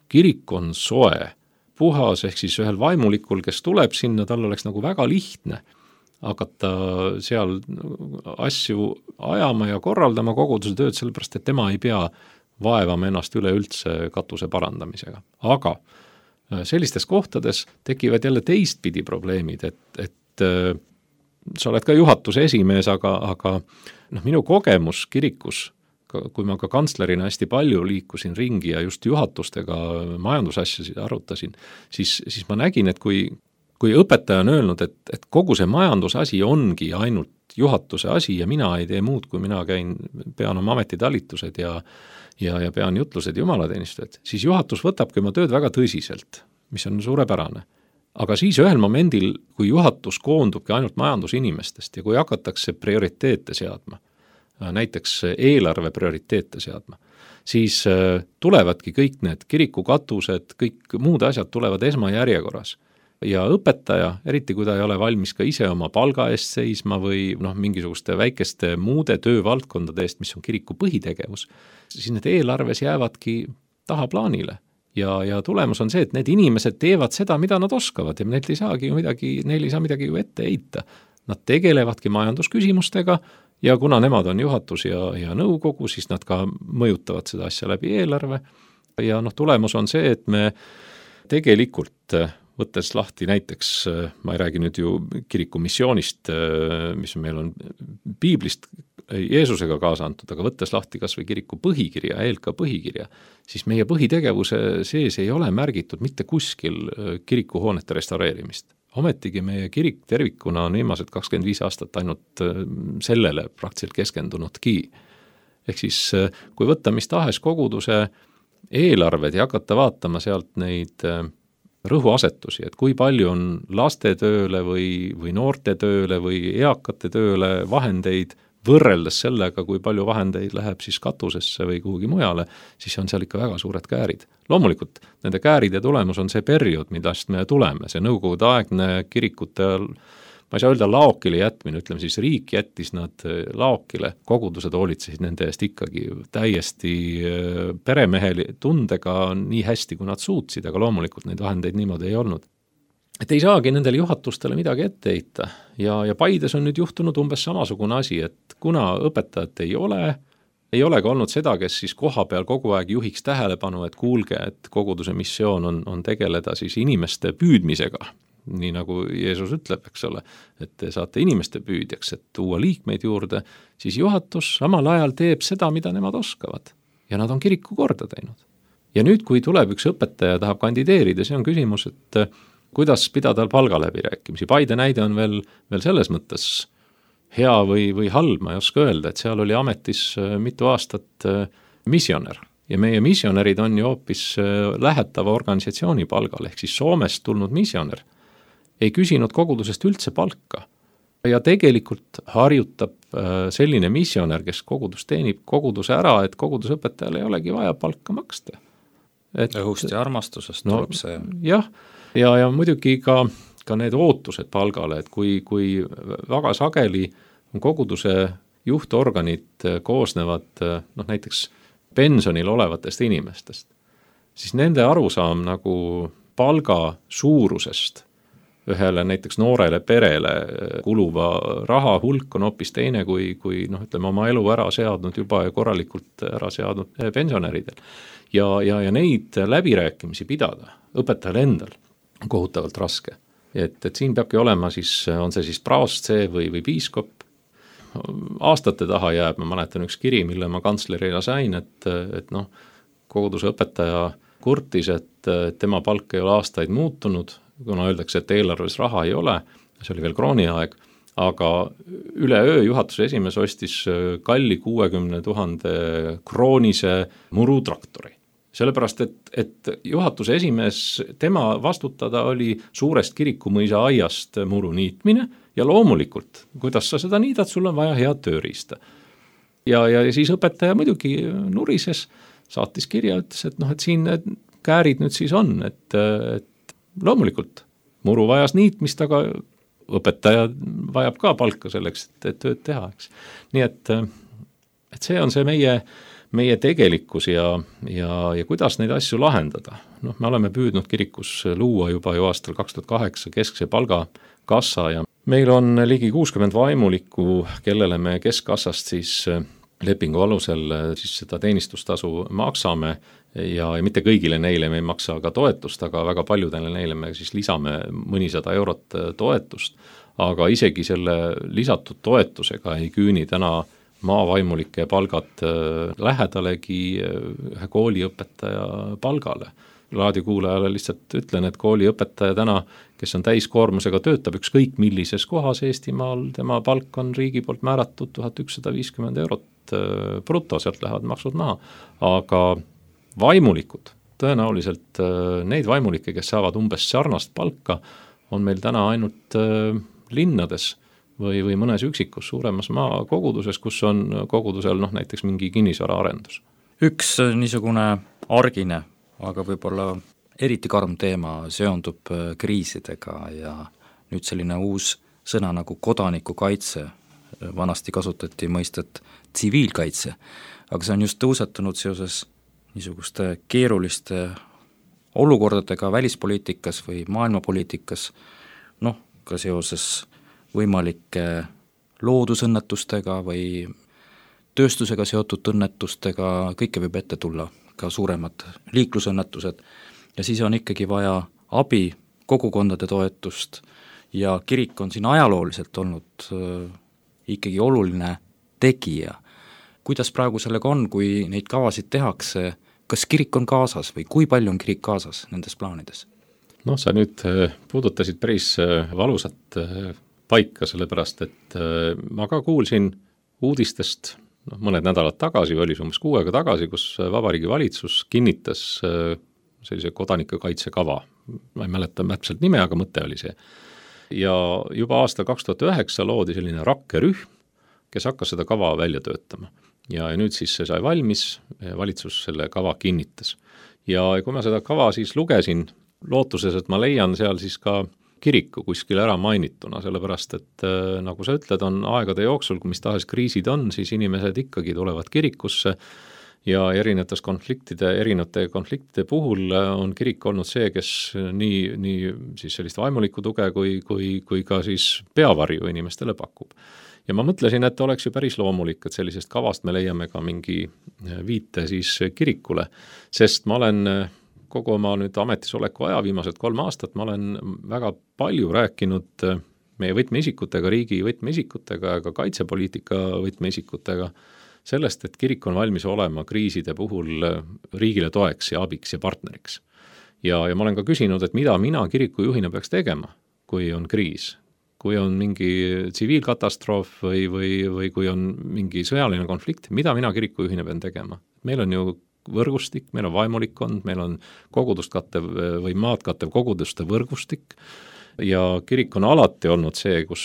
kirik on soe, puhas, ehk siis ühel vaimulikul, kes tuleb sinna, tal oleks nagu väga lihtne hakata seal asju ajama ja korraldama koguduse tööd, sellepärast et tema ei pea vaevama ennast üleüldse katuse parandamisega. Aga sellistes kohtades tekivad jälle teistpidi probleemid, et, et sa oled ka juhatuse esimees, aga, aga noh, minu kogemus kirikus, kui ma ka kantslerina hästi palju liikusin ringi ja just juhatustega majandusasjasid arutasin, siis, siis ma nägin, et kui, kui õpetaja on öelnud, et, et kogu see majandusasi ongi ainult juhatuse asi ja mina ei tee muud, kui mina käin, pean oma ametitalitused ja, ja, ja pean jutlused jumalateenistused, siis juhatus võtabki oma tööd väga tõsiselt, mis on suurepärane. Aga siis ühel momendil, kui juhatus koondubki ainult majandusinimestest ja kui hakatakse prioriteete seadma, näiteks eelarve prioriteete seadma, siis tulevadki kõik need kirikukatused, kõik muud asjad tulevad esmajärjekorras. Ja õpetaja, eriti kui ta ei ole valmis ka ise oma palga eest seisma või noh, mingisuguste väikeste muude töövaldkondade eest, mis on kiriku põhitegevus, siis need eelarves jäävadki tahaplaanile. Ja, ja tulemus on see, et need inimesed teevad seda, mida nad oskavad ja neil ei saagi ju midagi, neil ei saa midagi ju ette heita. Nad tegelevadki majandusküsimustega ja kuna nemad on juhatus ja, ja nõukogu, siis nad ka mõjutavad seda asja läbi eelarve. Ja noh, tulemus on see, et me tegelikult võttes lahti näiteks, ma ei räägi nüüd ju kiriku missioonist, mis meil on piiblist Jeesusega kaasa antud, aga võttes lahti kas või kiriku põhikirja, E L K põhikirja, siis meie põhitegevuse sees ei ole märgitud mitte kuskil kirikuhoonete restaureerimist. Ometigi meie kirik tervikuna on viimased kakskümmend viis aastat ainult sellele praktiliselt keskendunudki. ehk siis kui võtta mis tahes koguduse eelarved ja hakata vaatama sealt neid rõhuasetusi, et kui palju on laste tööle või, või noorte tööle või eakate tööle vahendeid võrreldes sellega, kui palju vahendeid läheb siis katusesse või kuhugi mujale, siis on seal ikka väga suured käärid. Loomulikult nende kääride tulemus on see periood, millest me tuleme, see nõukogude aegne kirikute, ma ei saa öelda laokile jätmine, ütleme siis riik jättis nad laokile, kogudused hoolitsesid nende eest ikkagi täiesti peremeheli tundega nii hästi, kui nad suutsid, aga loomulikult neid vahendeid niimoodi ei olnud. Et ei saagi nendele juhatustele midagi ette heita ja, ja Paides on nüüd juhtunud umbes samasugune asi, et kuna õpetajat ei ole, ei ole ka olnud seda, kes siis koha peal kogu aeg juhiks tähelepanu, et kuulge, et koguduse missioon on, on tegeleda siis inimeste püüdmisega, nii nagu Jeesus ütleb, eks ole, et te saate inimeste püüdjaks, et tuua liikmeid juurde, siis juhatus samal ajal teeb seda, mida nemad oskavad ja nad on kiriku korda teinud. Ja nüüd, kui tuleb üks õpetaja tahab kandideerida, see on küsimus, et kuidas pidada palgaläbirääkimisi. Paide näide on veel, veel selles mõttes hea või, või halb, ma ei oska öelda, et seal oli ametis mitu aastat missionär. Ja meie missionärid on ju hoopis lähetava organisatsiooni palgal, ehk siis Soomest tulnud missionär ei küsinud kogudusest üldse palka. Ja tegelikult harjutab selline missionär, kes kogudus teenib koguduse ära, et kogudusõpetajale ei olegi vaja palka maksta. Et, õhust ja armastusest no, tuleb see. Jah, ja, ja muidugi ka, ka need ootused palgale, et kui, kui väga sageli on koguduse juhtorganid koosnevad noh, näiteks pensionil olevatest inimestest, siis nende arusaam nagu palga suurusest ühele näiteks noorele perele kuluva raha hulk on hoopis teine kui, kui noh, ütleme, oma elu ära seadnud juba ja korralikult ära seadnud pensionäridel. Ja, ja, ja neid läbirääkimisi pidada õpetajal endal on kohutavalt raske. Et, et siin peabki olema siis, on see siis praost see või, või piiskop. Aastate taha jääb, ma mäletan üks kiri, mille ma kantslerina sain, et, et noh, koguduse õpetaja kurtis, et tema palk ei ole aastaid muutunud, kuna öeldakse, et eelarves raha ei ole, see oli veel krooni aeg, aga üleöö juhatuse esimees ostis kalli kuuekümne tuhande kroonise murutraktori. Sellepärast, et, et juhatuse esimees, tema vastutada oli suurest kirikumõisa aiast muru niitmine ja loomulikult, kuidas sa seda niidad, sul on vaja head tööriista. Ja, ja siis õpetaja muidugi nurises, saatis kirja, ütles, et noh, et siin need käärid nüüd siis on, et, et loomulikult muru vajas niitmist, aga õpetaja vajab ka palka selleks, et, et tööd teha, eks. Nii et, et see on see meie meie tegelikkus ja, ja, ja kuidas neid asju lahendada. Noh, me oleme püüdnud kirikus luua juba ju aastal kaks tuhat kaheksa keskse palgakassa ja meil on ligi kuuskümmend vaimulikku, kellele me keskkassast siis lepingu alusel siis seda teenistustasu maksame ja, ja mitte kõigile neile me ei maksa ka toetust, aga väga paljudele neile me siis lisame mõnisada eurot toetust, aga isegi selle lisatud toetusega ei küüni täna maavaimulike palgad lähedalegi ühe kooliõpetaja palgale. Raadiokuulajale lihtsalt ütlen, et kooliõpetaja täna, kes on täiskoormusega, töötab ükskõik millises kohas Eestimaal, tema palk on riigi poolt määratud tuhat ükssada viiskümmend eurot bruto, sealt lähevad maksud maha. Aga vaimulikud, tõenäoliselt neid vaimulikke, kes saavad umbes sarnast palka, on meil täna ainult linnades või, või mõnes üksikus suuremas maakoguduses, kus on kogudusel noh, näiteks mingi kinnisvara arendus. Üks niisugune argine, aga võib-olla eriti karm teema seondub kriisidega ja nüüd selline uus sõna nagu kodanikukaitse, vanasti kasutati mõistet tsiviilkaitse, aga see on just tõusetunud seoses niisuguste keeruliste olukordadega välispoliitikas või maailmapoliitikas, noh, ka seoses võimalike loodusõnnetustega või tööstusega seotud õnnetustega, kõike võib ette tulla, ka suuremad liiklusõnnetused ja siis on ikkagi vaja abi, kogukondade toetust ja kirik on siin ajalooliselt olnud äh, ikkagi oluline tegija. Kuidas praegu sellega on, kui neid kavasid tehakse, kas kirik on kaasas või kui palju on kirik kaasas nendes plaanides? Noh, sa nüüd puudutasid päris valusat paika, sellepärast et ma ka kuulsin uudistest noh, mõned nädalad tagasi, oli umbes kuu aega tagasi, kus Vabariigi Valitsus kinnitas sellise kodanikekaitsekava. Ma ei mäleta täpselt nime, aga mõte oli see. Ja juba aastal kaks tuhat üheksa loodi selline rakkerühm, kes hakkas seda kava välja töötama. Ja, ja nüüd siis see sai valmis, valitsus selle kava kinnitas. Ja kui ma seda kava siis lugesin, lootuses, et ma leian seal siis ka kiriku kuskil ära mainituna, sellepärast et äh, nagu sa ütled, on aegade jooksul, kui mis tahes kriisid on, siis inimesed ikkagi tulevad kirikusse ja erinevates konfliktide, erinevate konfliktide puhul on kirik olnud see, kes nii, nii siis sellist vaimulikku tuge kui, kui, kui ka siis peavarju inimestele pakub. Ja ma mõtlesin, et oleks ju päris loomulik, et sellisest kavast me leiame ka mingi viite siis kirikule, sest ma olen kogu oma nüüd ametisoleku aja, viimased kolm aastat, ma olen väga palju rääkinud meie võtmeisikutega, riigi võtmeisikutega ja ka kaitsepoliitika võtmeisikutega sellest, et kirik on valmis olema kriiside puhul riigile toeks ja abiks ja partneriks. Ja, ja ma olen ka küsinud, et mida mina kirikujuhina peaks tegema, kui on kriis, kui on mingi tsiviilkatastroof või, või, või kui on mingi sõjaline konflikt, mida mina kirikujuhina pean tegema. Meil on ju võrgustik, meil on vaimulikkond, meil on kogudust kattev või maad kattev koguduste võrgustik ja kirik on alati olnud see, kus,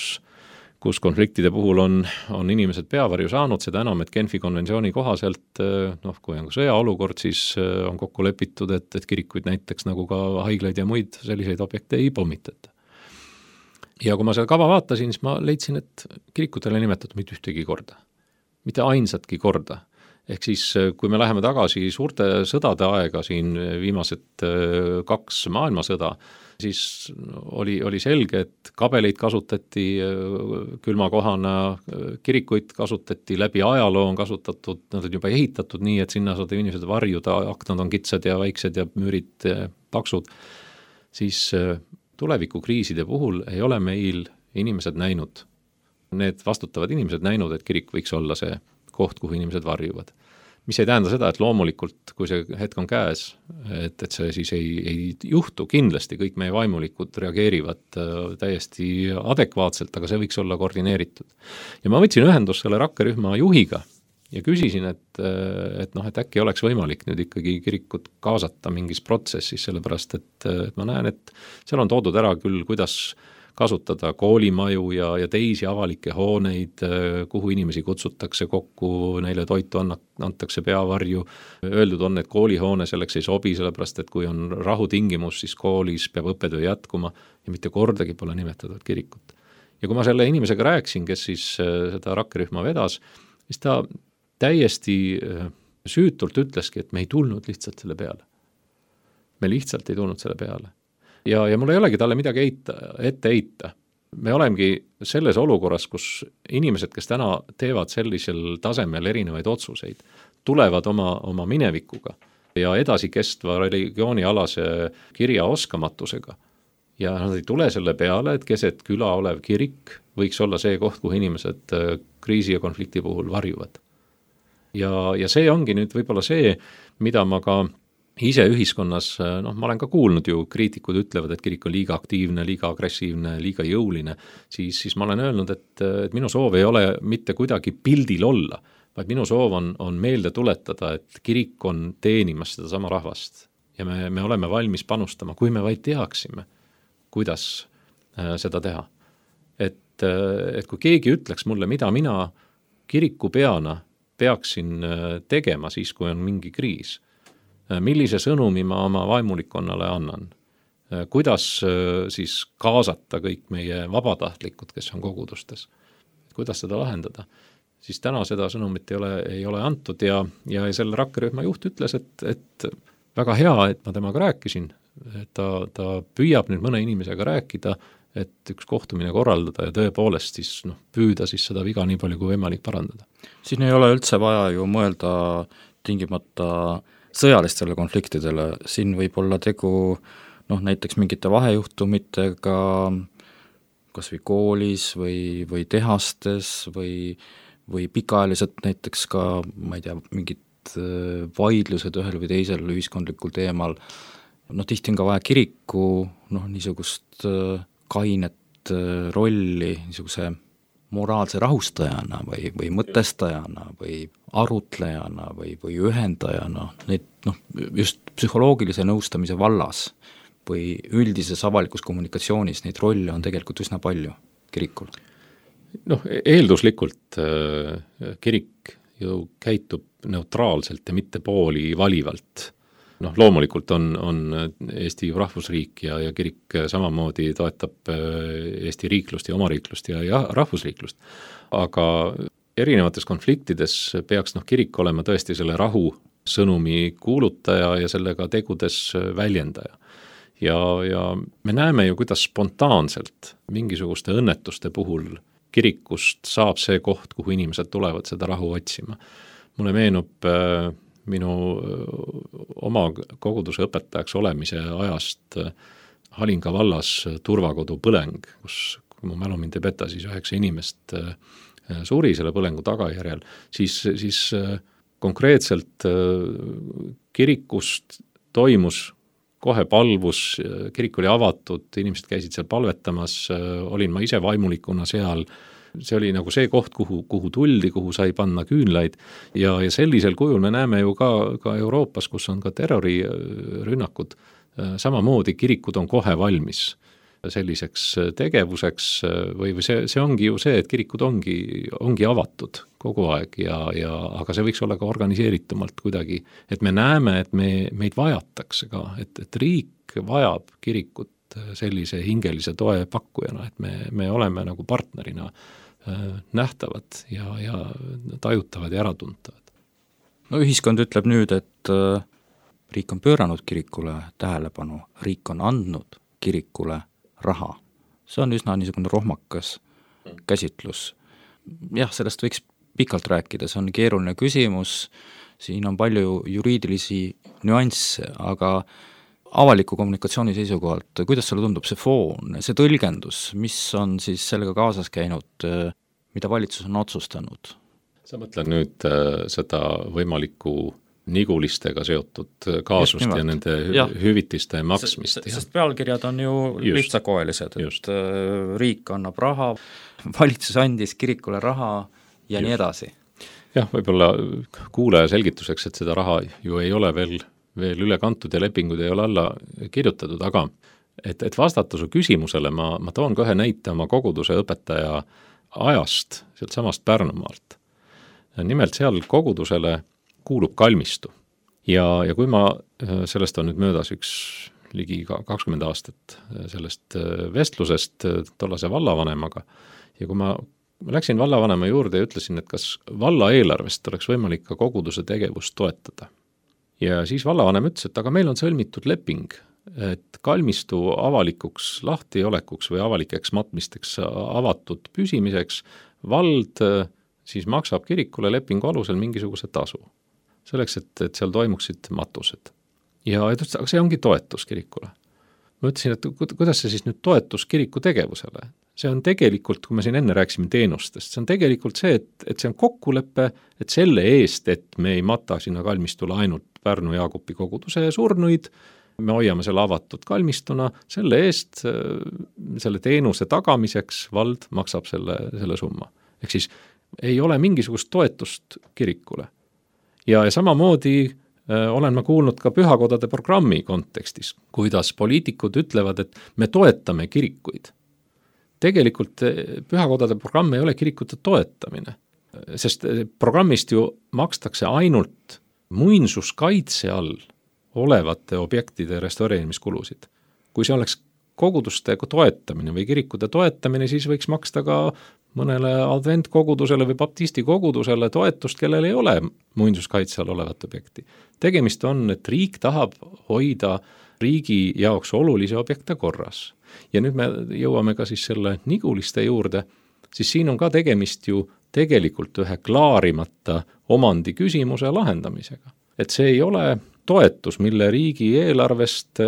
kus konfliktide puhul on, on inimesed peavarju saanud, seda enam, et Genfi konventsiooni kohaselt, noh, kui on sõjaolukord, siis on kokku lepitud, et, et kirikuid näiteks nagu ka haiglaid ja muid selliseid objekte ei pommitata. Ja kui ma seda kava vaatasin, siis ma leidsin, et kirikutele nimetatud mitte ühtegi korda, mitte ainsatki korda. Ehk siis, kui me läheme tagasi suurte sõdade aega, siin viimased kaks maailmasõda, siis oli, oli selge, et kabeleid kasutati külmakohana, kirikuid kasutati, läbi ajaloo on kasutatud, nad on juba ehitatud nii, et sinna saada inimesed varjuda, aknad on kitsad ja väiksed ja müürid paksud, siis tulevikukriiside puhul ei ole meil inimesed näinud, need vastutavad inimesed näinud, et kirik võiks olla see koht, kuhu inimesed varjuvad. Mis ei tähenda seda, et loomulikult, kui see hetk on käes, et, et see siis ei, ei juhtu, kindlasti kõik meie vaimulikud reageerivad täiesti adekvaatselt, aga see võiks olla koordineeritud. Ja ma võtsin ühendust selle rakkerühma juhiga ja küsisin, et, et, noh, et äkki oleks võimalik nüüd ikkagi kirikut kaasata mingis protsessis, sellepärast et, et ma näen, et seal on toodud ära küll, kuidas kasutada koolimaju ja, ja teisi avalikke hooneid, kuhu inimesi kutsutakse kokku, neile toitu anna, antakse peavarju. Öeldud on, et koolihoone selleks ei sobi, sellepärast et kui on rahutingimus, siis koolis peab õppetöö jätkuma ja mitte kordagi pole nimetatud kirikut. Ja kui ma selle inimesega rääksin, kes siis seda rakkerühma vedas, siis ta täiesti süütult ütleski, et me ei tulnud lihtsalt selle peale. Me lihtsalt ei tulnud selle peale. Ja, ja mul ei olegi talle midagi eita, ette eita. Me olemegi selles olukorras, kus inimesed, kes täna teevad sellisel tasemel erinevaid otsuseid, tulevad oma, oma minevikuga ja edasikestva religioonialase kirja oskamatusega. Ja nad ei tule selle peale, et keset küla olev kirik võiks olla see koht, kuhu inimesed kriisi ja konflikti puhul varjuvad. Ja, ja see ongi nüüd võib-olla see, mida ma ka ise ühiskonnas, noh, ma olen ka kuulnud ju, kriitikud ütlevad, et kirik on liiga aktiivne, liiga agressiivne, liiga jõuline, siis, siis ma olen öelnud, et, et minu soov ei ole mitte kuidagi pildil olla, vaid minu soov on, on meelde tuletada, et kirik on teenimas seda sama rahvast ja me, me oleme valmis panustama, kui me vaid teaksime, kuidas äh, seda teha. Et, äh, et kui keegi ütleks mulle, mida mina kirikupeana peaksin äh, tegema siis, kui on mingi kriis, millise sõnumi ma oma vaimulikkonnale annan, kuidas siis kaasata kõik meie vabatahtlikud, kes on kogudustes, kuidas seda lahendada, siis täna seda sõnumit ei ole, ei ole antud ja, ja selle rakkerühma juht ütles, et, et väga hea, et ma temaga rääkisin, et ta, ta püüab nüüd mõne inimesega rääkida, et üks kohtumine korraldada ja tõepoolest siis noh, püüda siis seda viga nii palju kui võimalik parandada. Siin ei ole üldse vaja ju mõelda tingimata sõjalistele konfliktidele, siin võib olla tegu noh, näiteks mingite vahejuhtumitega kas või koolis või, või tehastes või, või pikaajaliselt näiteks ka, ma ei tea, mingid vaidlused ühel või teisel ühiskondlikul teemal. noh, tihti on ka vaja kiriku noh, niisugust kainet rolli, niisuguse moraalse rahustajana või, või mõtestajana või arutlejana või, või ühendajana, neid noh, just psühholoogilise nõustamise vallas või üldises avalikus kommunikatsioonis neid rolle on tegelikult üsna palju kirikul. Noh, eelduslikult äh, kirik ju käitub neutraalselt ja mitte pooli valivalt. Noh, loomulikult on, on Eesti rahvusriik ja, ja kirik samamoodi toetab Eesti riiklust ja omariiklust ja, ja rahvusriiklust. Aga erinevates konfliktides peaks noh, kirik olema tõesti selle rahu sõnumi kuulutaja ja sellega tegudes väljendaja. Ja, ja me näeme ju, kuidas spontaanselt mingisuguste õnnetuste puhul kirikust saab see koht, kuhu inimesed tulevad seda rahu otsima. Mulle meenub äh, minu oma koguduse õpetajaks olemise ajast Halinga vallas turvakodu põleng, kus, kui mu mälu mind ei peta, siis üheksa inimest suri selle põlengu tagajärjel, siis, siis konkreetselt kirikust toimus kohe palvus, kirik oli avatud, inimesed käisid seal palvetamas, olin ma ise vaimulikuna seal. See oli nagu see koht, kuhu, kuhu tuldi, kuhu sai panna küünlaid ja, ja sellisel kujul me näeme ju ka, ka Euroopas, kus on ka terrorirünnakud, samamoodi kirikud on kohe valmis selliseks tegevuseks või, või see, see ongi ju see, et kirikud ongi, ongi avatud kogu aeg ja, ja, aga see võiks olla ka organiseeritumalt kuidagi, et me näeme, et me, meid vajatakse ka, et, et riik vajab kirikut sellise hingelise toe pakkujana, et me, me oleme nagu partnerina nähtavad ja, ja tajutavad ja äratuntavad. No ühiskond ütleb nüüd, et riik on pööranud kirikule tähelepanu, riik on andnud kirikule raha. See on üsna niisugune rohmakas käsitlus. Jah, sellest võiks pikalt rääkida, see on keeruline küsimus, siin on palju juriidilisi nüansse, aga avaliku kommunikatsiooni seisukohalt, kuidas sulle tundub see foon, see tõlgendus, mis on siis sellega kaasas käinud, mida valitsus on otsustanud? Sa mõtled nüüd äh, seda võimalikku nigulistega seotud kaasust ja nende ja. hüvitiste maksmist. Sest, sest pealkirjad on ju just, lihtsakoelised, et just. Riik annab raha, valitsus andis kirikule raha ja just. Nii edasi. Jah, võib-olla kuulaja selgituseks, et seda raha ju ei ole veel veel üle kantud ja lepingud ei ole alla kirjutatud, aga et, et vastata su küsimusele, ma, ma toon ka ühe näite oma koguduse õpetaja ajast, sealt samast Pärnumaalt. Nimelt seal kogudusele kuulub kalmistu ja, ja kui ma, sellest on nüüd möödas üks ligi kakskümmend aastat sellest vestlusest tollase vallavanemaga ja kui ma, ma läksin vallavanema juurde ja ütlesin, et kas valla eelarvest oleks võimalik ka koguduse tegevust toetada. Ja siis vallavanem ütles, et aga meil on sõlmitud leping, et kalmistu avalikuks lahtiolekuks või avalikeks matmisteks avatud püsimiseks vald siis maksab kirikule lepingu alusel mingisuguse tasu. Selleks, et, et seal toimuksid matused. Ja ütles, aga see ongi toetus kirikule. Ma ütlesin, et kuidas see siis nüüd toetus kiriku tegevusele? See on tegelikult, kui me siin enne rääkisime teenustest, see on tegelikult see, et, et see on kokkulepe, et selle eest, et me ei mata sinna kalmistule ainult Pärnu Jaagupi koguduse surnuid, me hoiame selle avatud kalmistuna, selle eest, selle teenuse tagamiseks vald maksab selle, selle summa. Ehk siis ei ole mingisugust toetust kirikule. Ja, ja samamoodi äh, olen ma kuulnud ka pühakodade programmi kontekstis, kuidas poliitikud ütlevad, et me toetame kirikuid. Tegelikult pühakodade programm ei ole kirikute toetamine, sest programmist ju makstakse ainult muinsuskaitse all olevate objektide restaureerimiskulusid. Kui see oleks koguduste toetamine või kirikute toetamine, siis võiks maksta ka mõnele adventkogudusele või baptisti kogudusele toetust, kellel ei ole muinsuskaitse all olevat objekti. Tegemist on, et riik tahab hoida riigi jaoks olulisi objekte korras. Ja nüüd me jõuame ka siis selle niguliste juurde, siis siin on ka tegemist ju tegelikult ühe klaarimata omandi küsimuse lahendamisega. Et see ei ole toetus, mille riigi eelarvest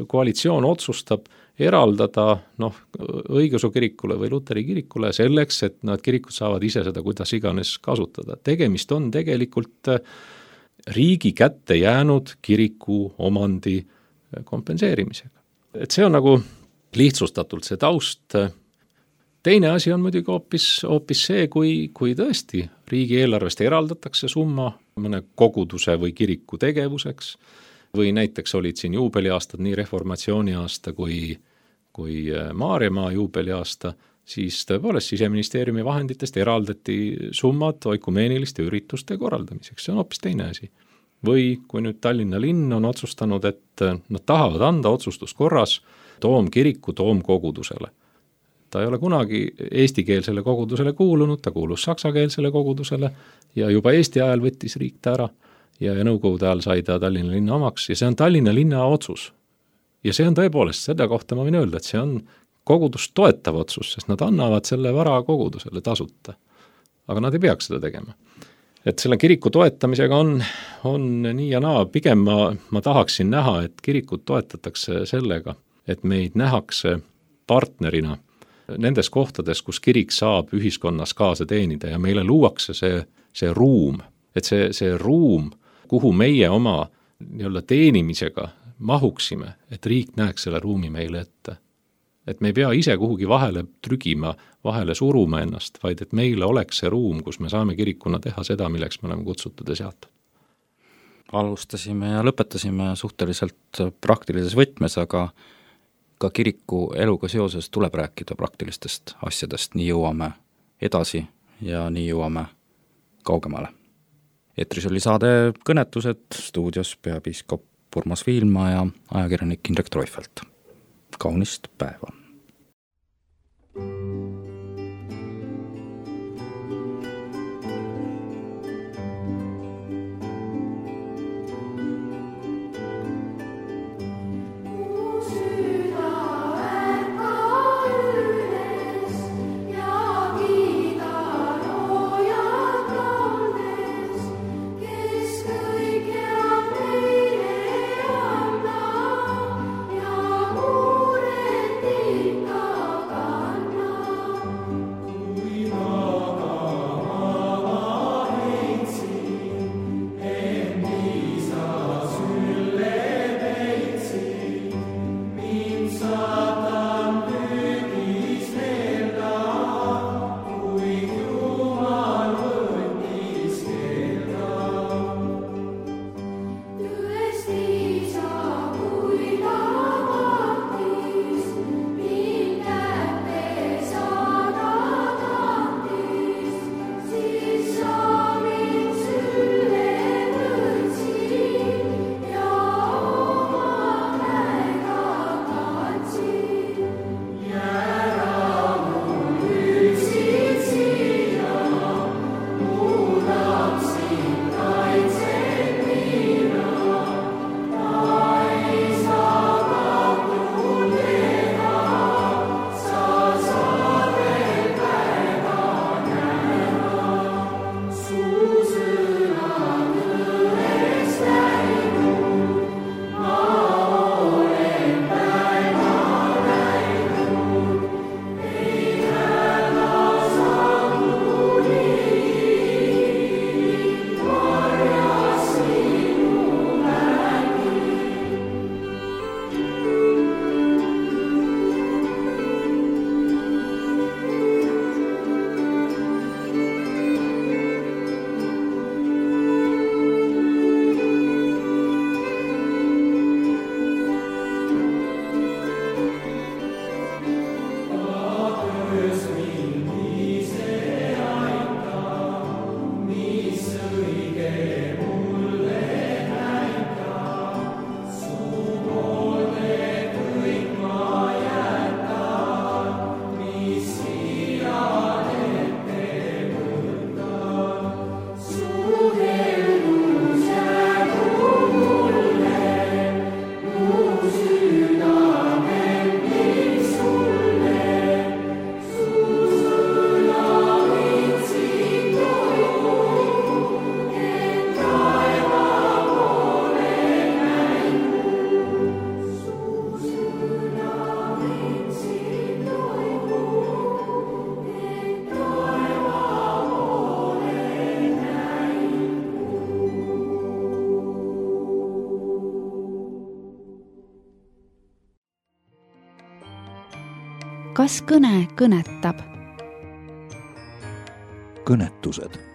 koalitsioon otsustab eraldada noh, õigeusu kirikule või Luteri kirikule selleks, et nad kirikud saavad ise seda kuidas iganes kasutada. Tegemist on tegelikult riigi kätte jäänud kiriku omandi kompenseerimisega. Et see on nagu lihtsustatult see taust. teine asi on muidugi hoopis, hoopis see, kui, kui tõesti riigieelarvest eraldatakse summa mõne koguduse või kiriku tegevuseks või näiteks olid siin juubeliaastad, nii reformatsiooni aasta kui, kui Maarjamaa juubeliaasta, siis tõepoolest Siseministeeriumi vahenditest eraldati summad oikumeeniliste ürituste korraldamiseks, see on hoopis teine asi. Või kui nüüd Tallinna linn on otsustanud, et nad tahavad anda otsustuskorras toomkiriku toomkogudusele. Ta ei ole kunagi eestikeelsele kogudusele kuulunud, ta kuulus saksakeelsele kogudusele ja juba Eesti ajal võttis riik ta ära ja, ja nõukogude ajal sai ta Tallinna linna omaks ja see on Tallinna linna otsus. Ja see on tõepoolest, seda kohta ma võin öelda, et see on kogudust toetav otsus, sest nad annavad selle vara kogudusele tasuta. Aga nad ei peaks seda tegema. Et selle kiriku toetamisega on, on nii ja naa, pigem ma, ma tahaksin näha, et kirikut toetatakse sellega, et meid nähakse partnerina nendes kohtades, kus kirik saab ühiskonnas kaasa teenida ja meile luuakse see, see ruum, et see, see ruum, kuhu meie oma nii-öelda teenimisega mahuksime, et riik näeks selle ruumi meile ette. Et me ei pea ise kuhugi vahele trügima, vahele suruma ennast, vaid et meile oleks see ruum, kus me saame kirikuna teha seda, milleks me oleme kutsutud ja seatud. Alustasime ja lõpetasime suhteliselt praktilises võtmes, aga ka kiriku eluga seoses tuleb rääkida praktilistest asjadest, nii jõuame edasi ja nii jõuame kaugemale. Eetris oli saade Kõnetused, stuudios peapiiskop Urmas Viilma ja ajakirjanik Indrek Treufelt. Kaunist päeva! Kas kõne kõnetab? kõnetused